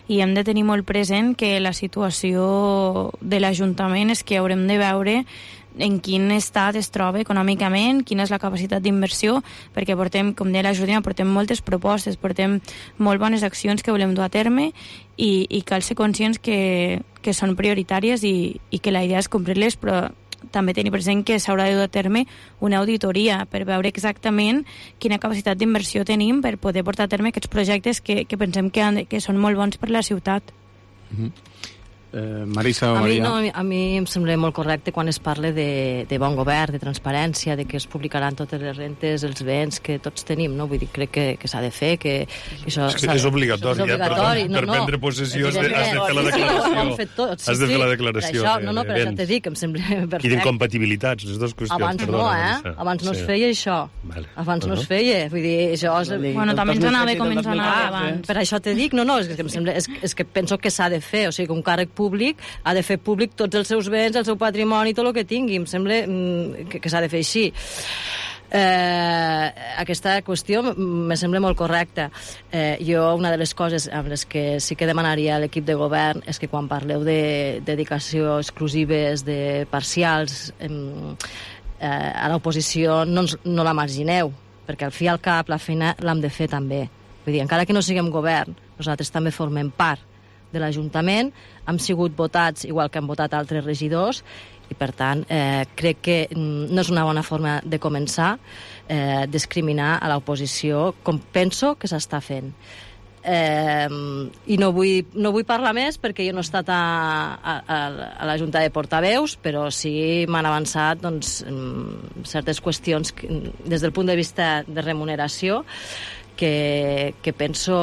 hem de tenir molt present que la situació de l'Ajuntament és que haurem de veure en quin estat es troba econòmicament, quina és la capacitat d'inversió, perquè portem, com deia la Judina, portem moltes propostes, portem molt bones accions que volem dur a terme i cal ser conscients que són prioritàries i que la idea és complir-les, però també tenir present que s'haurà de dur a terme una auditoria per veure exactament quina capacitat d'inversió tenim per poder portar a terme aquests projectes que pensem que són molt bons per la ciutat. Marisa o Maria? A mi em sembla molt correcte quan es parla de bon govern, de transparència, de que es publicaran totes les rentes, els béns que tots tenim, no? Vull dir, crec que s'ha de fer, que això... És obligatori, per prendre possessió has de fer la declaració. Has de fer la declaració. No, però això t'he dit, que em sembla perfecte. I d'incompatibilitats, les dues qüestions. Abans no, Abans no es feia això. Abans no es feia, vull dir, això... Bueno, també ens anava com ens anava abans. Per això t'he dit, és que penso que s'ha de fer, o sigui, que un càrrec públic ha de fer públic tots els seus béns, el seu patrimoni, tot el que tingui. Em sembla que s'ha de fer així. Aquesta qüestió me sembla molt correcta. Jo, una de les coses amb les que sí que demanaria a l'equip de govern és que quan parleu de dedicació exclusives, de parcials, a l'oposició no la margineu, perquè al fi i al cap la feina l'hem de fer també. Vull dir, encara que no siguem govern, nosaltres també formem part de l'Ajuntament, hem sigut votats igual que han votat altres regidors i, per tant, crec que no és una bona forma de començar discriminar a l'oposició com penso que s'està fent. I no vull parlar més perquè jo no he estat a la Junta de Portaveus, però sí m'han avançat certes qüestions des del punt de vista de remuneració que penso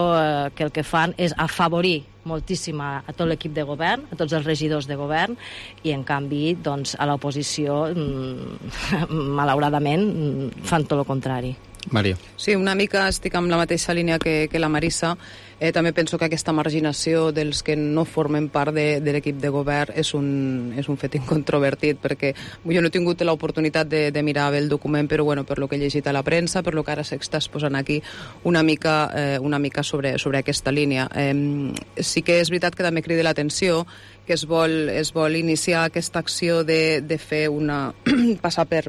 que el que fan és afavorir moltíssim a tot l'equip de govern, a tots els regidors de govern, i en canvi a l'oposició malauradament fan tot el contrari. Maria. Sí, una mica estic amb la mateixa línia que la Marisa. També penso que aquesta marginació dels que no formen part de l'equip de govern és un fet incontrovertit, perquè jo no he tingut l'oportunitat de mirar bé el document, però bueno, per lo que he llegit a la premsa, per lo que ara s'està exposant aquí, una mica sobre aquesta línia. Sí que és veritat que també crida l'atenció que es vol iniciar aquesta acció de fer passar per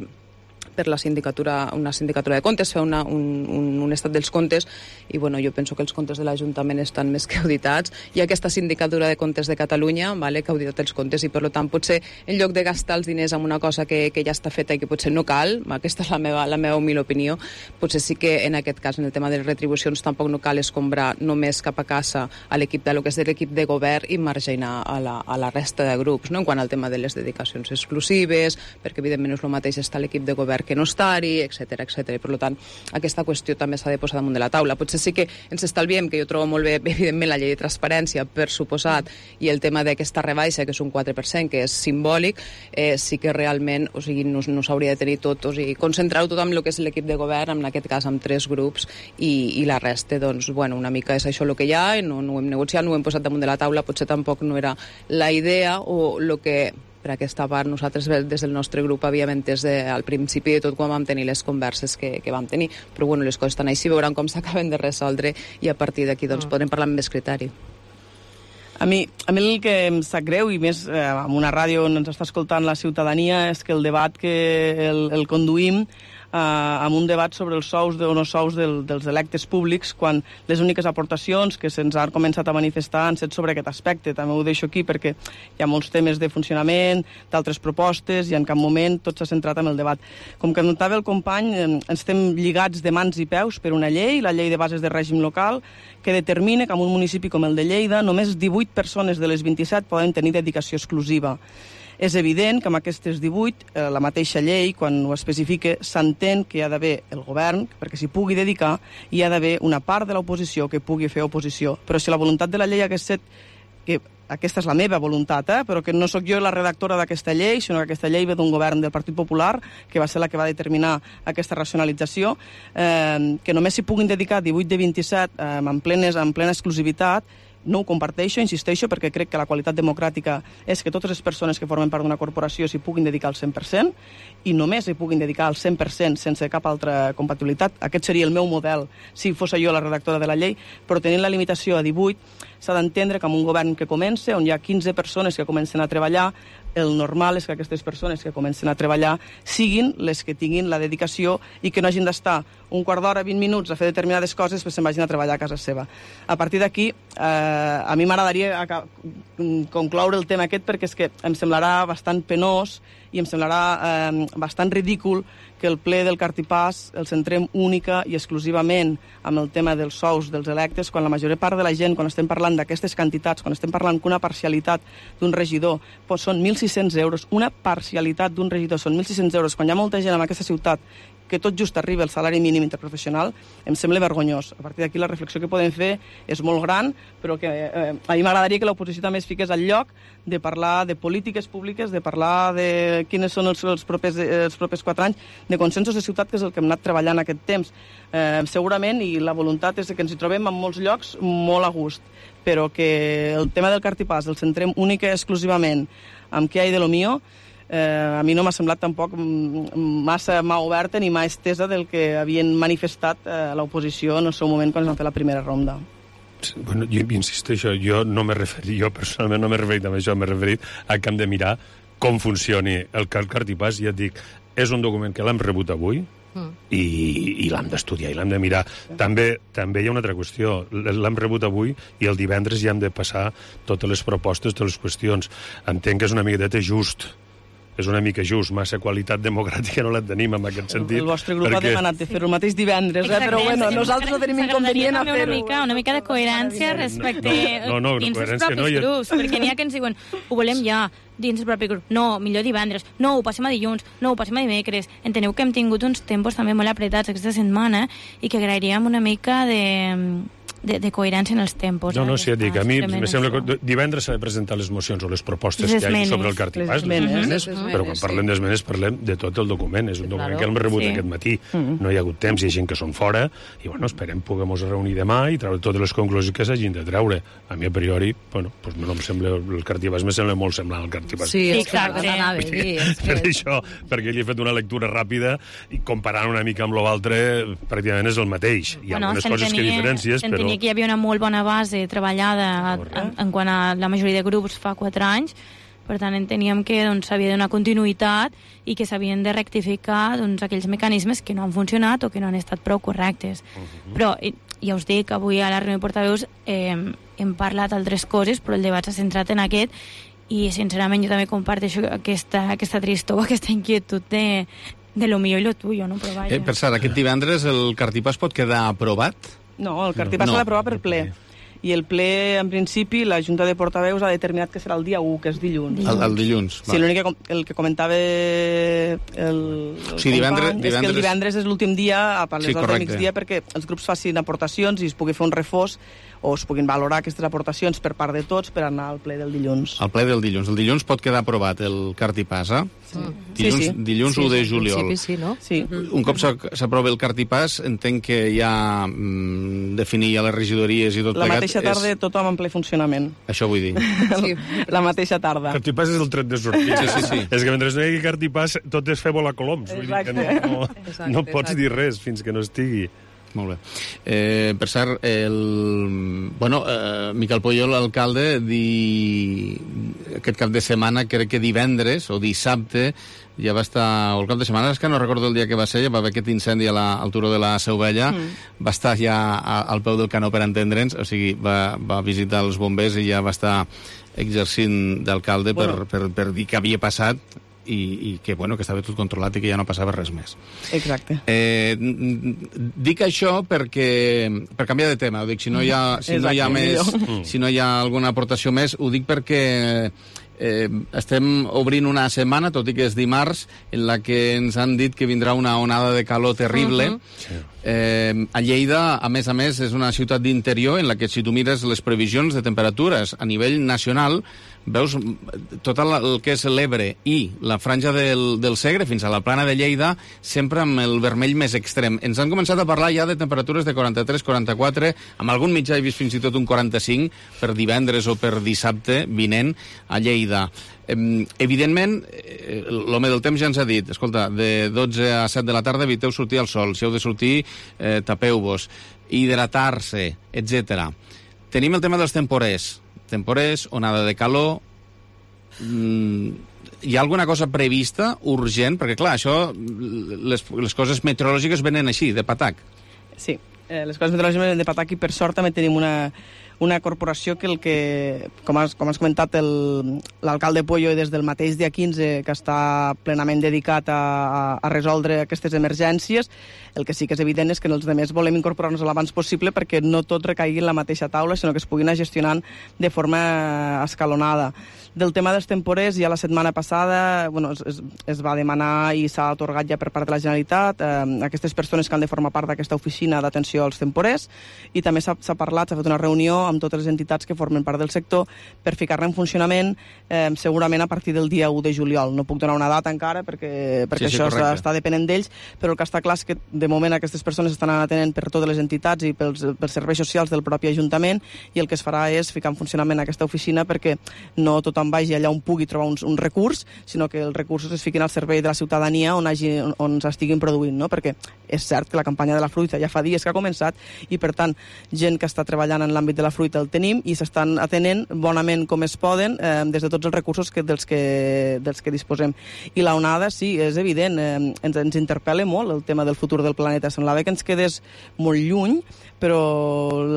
una sindicatura de comptes, fer un estat dels comptes, i bueno, jo penso que els comptes de l'Ajuntament estan més que auditats. Hi ha aquesta sindicatura de comptes de Catalunya, que ha auditat els comptes, i per tant potser en lloc de gastar els diners en una cosa que ja està feta i que potser no cal, aquesta és la meva humil opinió, potser sí que en aquest cas, en el tema de les retribucions, tampoc no cal escombrar només cap a casa a l'equip de lo que és de l'equip de govern i marginar a la resta de grups, no? En quant al tema de les dedicacions exclusives, perquè evidentment no és el mateix estar a l'equip de govern que no estar-hi, etc. I per tant aquesta qüestió també s'ha de posar damunt de la taula. Potser sí que ens estalviem, que jo trobo molt bé evidentment la llei de transparència, per suposat, i el tema d'aquesta rebaixa, que és un 4%, que és simbòlic, sí que realment no s'hauria de tenir tot, concentrar-ho tot amb el que és l'equip de govern, en aquest cas amb 3 grups, i la resta, doncs, bueno, una mica és això el que hi ha, no ho hem negociat, no ho hem posat damunt de la taula, potser tampoc no era la idea o el que per aquesta part nosaltres des del nostre grup havíem entès al principi de tot quan vam tenir les converses que vam tenir, però bueno, les coses estan així, veuran com s'acaben de resoldre i a partir d'aquí doncs podrem parlar amb més criteri. A mi el que em sap greu, i més en una ràdio on ens està escoltant la ciutadania, és que el debat que el conduïm amb un debat sobre els sous o no sous dels electes públics, quan les úniques aportacions que se'ns han començat a manifestar han set sobre aquest aspecte. També ho deixo aquí perquè hi ha molts temes de funcionament, d'altres propostes, i en cap moment tot s'ha centrat en el debat. Com que notava el company, estem lligats de mans i peus per una llei, la llei de bases de règim local, que determina que en un municipi com el de Lleida només 18 persones de les 27 poden tenir dedicació exclusiva. És evident que amb aquestes 18, la mateixa llei, quan ho especifica, s'entén que hi ha d'haver el govern, perquè s'hi pugui dedicar, i hi ha d'haver una part de l'oposició que pugui fer oposició. Però si la voluntat de la llei hagués set que aquesta és la meva voluntat, però que no sóc jo la redactora d'aquesta llei, sinó que aquesta llei ve d'un govern del Partit Popular, que va ser la que va determinar aquesta racionalització, que només s'hi puguin dedicar 18 de 27 en plena exclusivitat. No ho comparteixo, insisteixo, perquè crec que la qualitat democràtica és que totes les persones que formen part d'una corporació s'hi puguin dedicar al 100% i només s'hi puguin dedicar al 100% sense cap altra compatibilitat. Aquest seria el meu model si fos jo la redactora de la llei, però tenint la limitació a 18 s'ha d'entendre que amb un govern que comença, on hi ha 15 persones que comencen a treballar, el normal és que aquestes persones que comencen a treballar siguin les que tinguin la dedicació i que no hagin d'estar un quart d'hora, 20 minuts a fer determinades coses perquè se'n vagin a treballar a casa seva. A partir d'aquí, a mi m'agradaria concloure el tema aquest perquè és que em semblarà bastant penós i em semblarà bastant ridícul que el ple del Cartipàs el centrem única i exclusivament amb el tema dels sous dels electes, quan la major part de la gent, quan estem parlant d'aquestes quantitats, quan estem parlant que una parcialitat d'un regidor són 1.600 euros, una parcialitat d'un regidor són 1.600 euros, quan hi ha molta gent en aquesta ciutat que tot just arriba al salari mínim interprofessional, em sembla vergonyós. A partir d'aquí la reflexió que podem fer és molt gran, però que a mi m'agradaria que l'oposició també es fiqués al lloc de parlar de polítiques públiques, de parlar de quines són els propers 4 anys, de consensos de ciutat, que és el que hem anat treballant aquest temps. Segurament, i la voluntat és que ens hi trobem en molts llocs molt a gust, però que el tema del Cartipàs el centrem única i exclusivament amb què hi ha de lo mío, a mi no m'ha semblat tampoc massa mà oberta ni mà estesa del que havien manifestat a l'oposició en el seu moment quan es va fer la primera ronda. Bueno, jo insisteixo, jo personalment no m'he referit a això, m'he referit a que hem de mirar com funcioni el Cartipàs, i ja et dic, és un document que l'hem rebut avui, i l'hem d'estudiar i l'hem de mirar. També hi ha una altra qüestió, l'hem rebut avui i el divendres ja hem de passar totes les propostes, totes les qüestions. Entenc que és una miqueta just, és una mica just, massa qualitat democràtica no la tenim en aquest sentit. El vostre grup ha demanat de fer-ho el mateix divendres, però bueno, nosaltres no tenim inconvenient a fer-ho. Una mica de coherència respecte dins els propis grups, perquè n'hi ha que ens diuen ho volem ja, dins el propi grup. No, millor divendres. No, ho passem a dilluns. No, ho passem a dimecres. Enteneu que hem tingut uns tempos també molt apretats aquesta setmana i que agrairíem una mica de coherència en els tempos. No, sí, dic, a mi me sembla que divendres s'ha de presentar les mocions o les propostes que hi ha sobre el Cartipàs, les esmenes, però quan parlem d'esmenes parlem de tot el document. És un document que hem rebut aquest matí. No hi ha hagut temps, hi ha gent que són fora, i bueno, esperem poder-nos reunir demà i treure totes les conclusions que s'hagin de treure. A mi, a priori, bueno, no em sembla, el Cartipàs me sembla molt semblant al Cartipàs. Sí, exacte. Per això, perquè ell ha fet una lectura ràpida i comparant una mica amb l'altre, pràcticament és el mateix. Hi ha algunes coses que diferències, però que hi havia una molt bona base treballada en quant a la majoria de grups fa 4 anys, per tant enteníem que s'havia de donar continuïtat i que s'havien de rectificar aquells mecanismes que no han funcionat o que no han estat prou correctes. Però ja us dic, avui a la reunió de portaveus hem parlat d'altres coses, però el debat s'ha centrat en aquest i sincerament jo també comparteixo aquesta tristor, aquesta inquietud de lo mío i lo tuyo, no? Però vaja. Per cert, aquest divendres el Cartipàs pot quedar aprovat? No, el Cartipàs s'ha d'aprovar per ple. I el ple, en principi, la Junta de Portaveus ha determinat que serà el dia 1, que és dilluns. El dilluns. Sí, l'únic el que comentava el divendres és que el divendres és l'últim dia a les hores del migdia perquè els grups facin aportacions i es pugui fer un refós o es puguin valorar aquestes aportacions per part de tots per anar al ple del dilluns. Al ple del dilluns. El dilluns pot quedar aprovat el Cartipàs, Dilluns 1 de juliol. Sí, no? Sí. Un cop s'aprova el Cartipàs, entenc que ja definir ja les regidories i tot plegat... La mateixa tarda tothom en ple funcionament. Això vull dir. La mateixa tarda. Cartipàs és el tret de sortida. Sí. És que mentre no hi hagi Cartipàs tot és fer volar coloms. Vull dir que no pots dir res fins que no estigui. Molt bé. Per cert, Miquel Pujol, l'alcalde, aquest cap de setmana, crec que divendres o dissabte, ja va estar, o el cap de setmana, és que no recordo el dia que va ser, ja va haver aquest incendi al turó de la Seu Vella, va estar ja al peu del canó, per entendre'ns, o sigui, va visitar els bombers i ja va estar exercint d'alcalde per dir què havia passat i que estava tot controlat i que ja no passava res més. Exacte. Dic això per canviar de tema, ho dic, si no hi ha alguna aportació més, ho dic perquè estem obrint una setmana, tot i que és dimarts, en la que ens han dit que vindrà una onada de calor terrible. A Lleida, a més, és una ciutat d'interior en la que, si tu mires les previsions de temperatures a nivell nacional, veus tot el que és l'Ebre i la franja del Segre fins a la plana de Lleida, sempre amb el vermell més extrem. Ens han començat a parlar ja de temperatures de 43, 44, amb algun mitjà he vist fins i tot un 45 per divendres o per dissabte vinent a Lleida. Evidentment, l'home del temps ja ens ha dit, escolta, de 12 a 7 de la tarda eviteu sortir al sol, si heu de sortir, tapeu-vos, hidratar-se, etc. Tenim el tema dels temporers, onada de calor. Hi ha alguna cosa prevista, urgent? Perquè, clar, això, les coses meteorològiques venen així, de patac. Sí, les coses meteorològiques venen de patac i, per sort, també tenim una corporació que com has comentat, l'alcalde Pueyo des del mateix dia 15, que està plenament dedicat a resoldre aquestes emergències. El que sí que és evident és que els altres volem incorporar-nos l'abans possible perquè no tot recaigui en la mateixa taula, sinó que es puguin anar gestionant de forma escalonada. Del tema dels temporers, ja la setmana passada es va demanar i s'ha atorgat ja per part de la Generalitat aquestes persones que han de formar part d'aquesta oficina d'atenció als temporers, i també s'ha parlat, s'ha fet una reunió amb totes les entitats que formen part del sector per ficar-la en funcionament segurament a partir del dia 1 de juliol. No puc donar una data encara perquè això està depenent d'ells, però el que està clar és que de moment aquestes persones estan atenent per totes les entitats i pels serveis socials del propi Ajuntament, i el que es farà és ficar en funcionament aquesta oficina perquè no tothom vagi allà on pugui trobar un recurs, sinó que els recursos es fiquin al servei de la ciutadania on s'estiguin produint, no? Perquè és cert que la campanya de la fruita ja fa dies que ha començat i, per tant, gent que està treballant en l'àmbit de la fruita el tenim i s'estan atenent bonament com es poden des de tots els recursos dels que disposem. I la onada, sí, és evident, ens interpel·la molt el tema del futur del planeta. Semblava que ens quedés molt lluny, però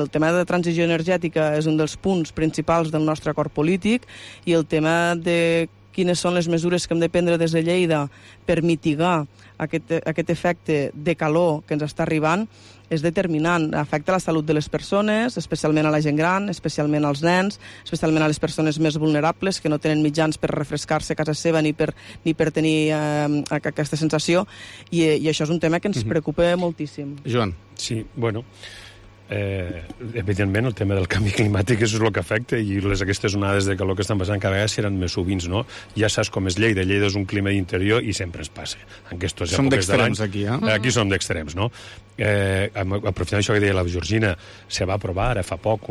el tema de transició energètica és un dels punts principals del nostre acord polític, i el tema de quines són les mesures que hem de prendre des de Lleida per mitigar aquest efecte de calor que ens està arribant és determinant. Afecta la salut de les persones, especialment a la gent gran, especialment als nens, especialment a les persones més vulnerables que no tenen mitjans per refrescar-se a casa seva ni per tenir aquesta sensació, i això és un tema que ens preocupa moltíssim. Joan. Sí, bueno, evidentment el tema del canvi climàtic és el que afecta, i aquestes onades de calor que estan passant cada vegada seran més sovins, no? Ja saps com és Lleida. Lleida és un clima d'interior i sempre ens passa. Som d'extrems aquí, Aquí som d'extrems, no? Aprofitant això que deia la Georgina, se va aprovar ara fa poc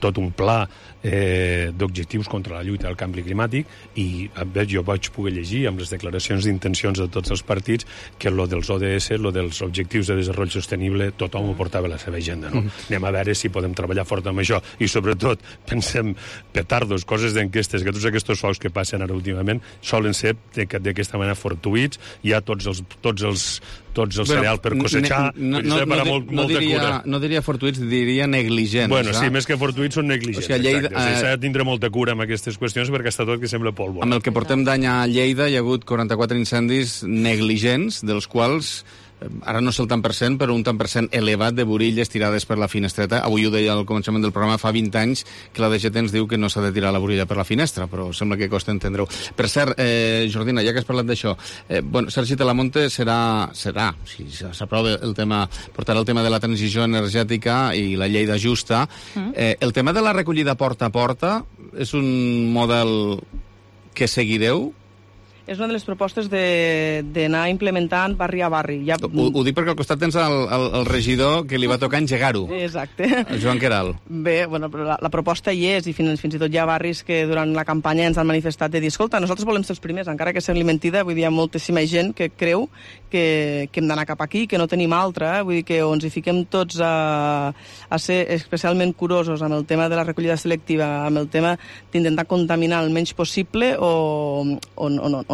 tot un pla d'objectius contra la lluita del canvi climàtic, i jo vaig poder llegir amb les declaracions d'intencions de tots els partits que lo dels ODS, lo dels objectius de desenvolupament sostenible, tothom ho portava a la seva agenda, no? Anem a veure si podem treballar fort amb això, i sobretot pensem petardos, coses d'enquestes, que tots aquests sols que passen ara últimament solen ser d'aquesta manera fortuïts. Hi ha tots els cereals per cosechar, no diria fortuïts, diria negligents. Bueno, sí, més que fortuïts són negligents. S'ha de tindre molta cura amb aquestes qüestions perquè està tot que sembla polvo. Amb el que portem d'any a Lleida hi ha hagut 44 incendis negligents, dels quals ara no sé el tant per cent, però un tant per cent elevat de burilles tirades per la finestreta. Avui ho deia al començament del programa, fa 20 anys que la DGT ens diu que no s'ha de tirar la burilla per la finestra, però sembla que costa entendre-ho. Per cert, Jordina, ja que has parlat d'això, Sergi Talamonte serà, si s'aprova el tema, portarà el tema de la transició energètica i la Lleida justa. El tema de la recollida porta a porta és un model que seguireu? És una de les propostes d'anar implementant barri a barri. Ho dic perquè al costat tens el regidor que li va tocar engegar-ho. Exacte. El Joan Queralt. Bé, però la proposta hi és, i fins i tot hi ha barris que durant la campanya ens han manifestat de dir, escolta, nosaltres volem ser els primers, encara que sembli mentida, vull dir, hi ha moltíssima gent que creu que hem d'anar cap aquí, que no tenim altra, vull dir que o ens hi fiquem tots a ser especialment curosos amb el tema de la recollida selectiva, amb el tema d'intentar contaminar el menys possible, o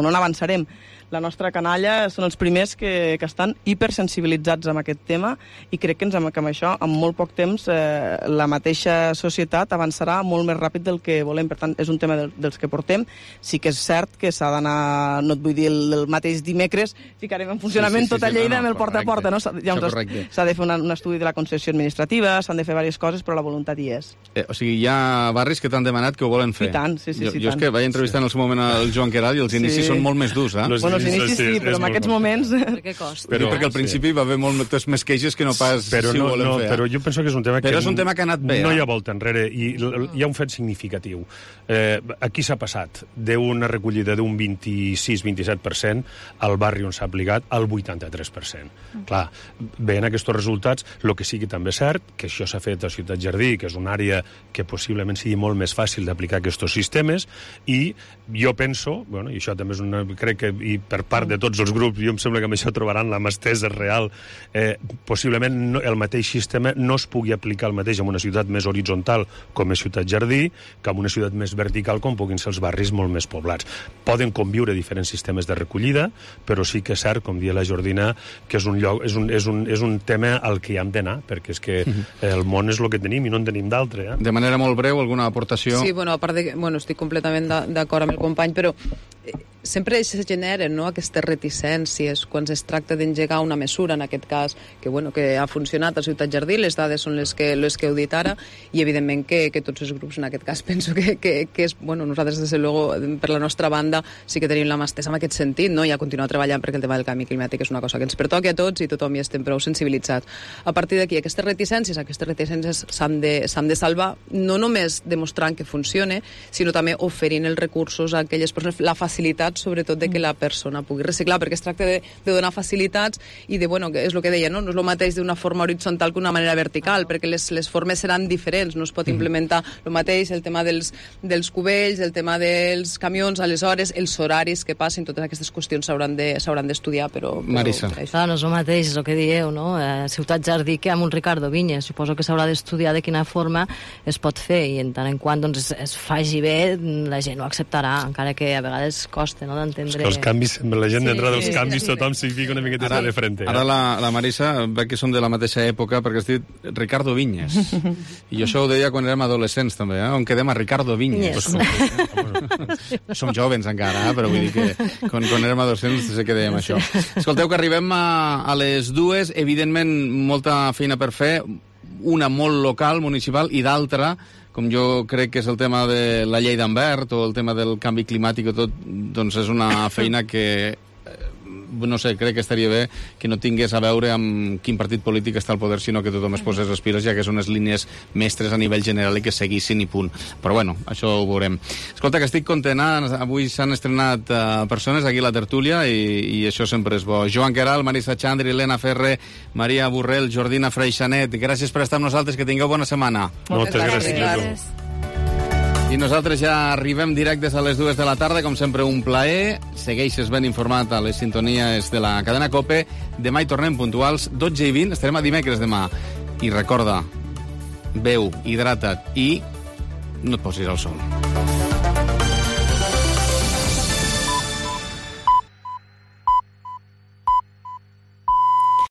no n'avançarem. la nostra canalla són els primers que estan hipersensibilitzats amb aquest tema i crec que amb això, en molt poc temps, la mateixa societat avançarà molt més ràpid del que volem. Per tant, és un tema dels que portem. Sí que és cert que s'ha d'anar, no et vull dir el mateix dimecres, ficarem en funcionament tota Lleida amb el porta a porta. S'ha de fer un estudi de la concessió administrativa, s'han de fer diverses coses, però la voluntat hi és. O sigui, hi ha barris que t'han demanat que ho volen fer. I tant, sí. Jo és que vaig entrevistar en el seu moment el Joan Queralt i els inicis són molt més durs, eh? Bueno, els inicis sí, però en aquests moments... Què costa? Perquè al principi va haver moltes més queixes que no pas si ho volem fer. Però jo penso que és un tema però és un tema que ha anat bé. No hi ha volta enrere i hi ha un fet significatiu. Aquí s'ha passat d'una recollida d'un 26-27% al barri on s'ha aplicat al 83%. Clar, veient aquests resultats, el que sí que també és cert, que això s'ha fet a Ciutat Jardí, que és una àrea que possiblement sigui molt més fàcil d'aplicar aquests sistemes, i jo penso, i això també és crec que i per part de tots els grups, jo em sembla que amb això trobaran la mà estesa real, possiblement el mateix sistema no es pugui aplicar el mateix en una ciutat més horitzontal com és Ciutat Jardí que en una ciutat més vertical com puguin ser els barris molt més poblats. Poden conviure diferents sistemes de recollida, però sí que és cert, com dia la Jordina, que és un tema al que hi hem d'anar, perquè és que el món és el que tenim i no en tenim d'altre. De manera molt breu, alguna aportació? Sí, a part de que estic completament d'acord amb el company, però sempre es generen aquestes reticències quan es tracta d'engegar una mesura, en aquest cas, que ha funcionat a Ciutat Jardí, les dades són les que heu dit ara, i evidentment que tots els grups, en aquest cas, penso que és... nosaltres, des de luego, per la nostra banda, sí que tenim la mà estesa en aquest sentit, no? I a continuar treballant perquè el tema del canvi climàtic és una cosa que ens pertoca a tots i tothom hi estem prou sensibilitzats. A partir d'aquí, aquestes reticències s'han de salvar, no només demostrant que funcione, sinó també oferint els recursos a aquelles persones, la facilitat sobretot de que la persona pugui reciclar, perquè es tracta de donar facilitats i de, que és el que deia, no és el mateix d'una forma horitzontal que una manera vertical, perquè les formes seran diferents, no es pot implementar el mateix, el tema dels cubells, el tema dels camions, aleshores, els horaris que passin, totes aquestes qüestions s'hauran d'estudiar, però... Marisa. Clar, no és el mateix, és el que dieu, no? Ciutat Jardí que amb un Ricardo Vinyes, suposo que s'haurà d'estudiar de quina forma es pot fer, i en tant en quant es faci bé, la gent ho acceptarà, encara que a vegades costa, no, d'entendre... Els canvis, la gent d'entrar dels canvis, tothom s'hi fica una miqueta de frente. Ara la Marisa, veig que som de la mateixa època, perquè has dit Ricardo Vinyes. I jo això ho deia quan érem adolescents, també, on quedem a Ricardo Vinyes. Som jovens encara, però vull dir que quan érem adolescents sé que dèiem això. Escolteu, que arribem a les 2, evidentment molta feina per fer, una molt local, municipal, i d'altra, com jo crec que és el tema de la llei d'Ambert o el tema del canvi climàtic o tot, doncs és una feina que, no sé, crec que estaria bé que no tingués a veure amb quin partit polític està al poder, sinó que tothom es posés les piles, ja que són unes línies mestres a nivell general i que seguissin i punt. Però bueno, això ho veurem. Escolta, que estic content, avui s'han estrenat persones aquí a la tertúlia i això sempre és bo. Joan Queralt, Marisa Xandri, Helena Ferrer, Maria Borrell, Jordina Freixanet, gràcies per estar amb nosaltres, que tingueu bona setmana. Moltes gràcies. I nosaltres ja arribem directes a les 2 de la tarda, com sempre un plaer. Segueixes ben informat a les sintonies de la cadena COPE. Demà hi tornem puntuals, 12:20, estarem a dimecres demà. I recorda, beu, hidrata't i no et posis al sol.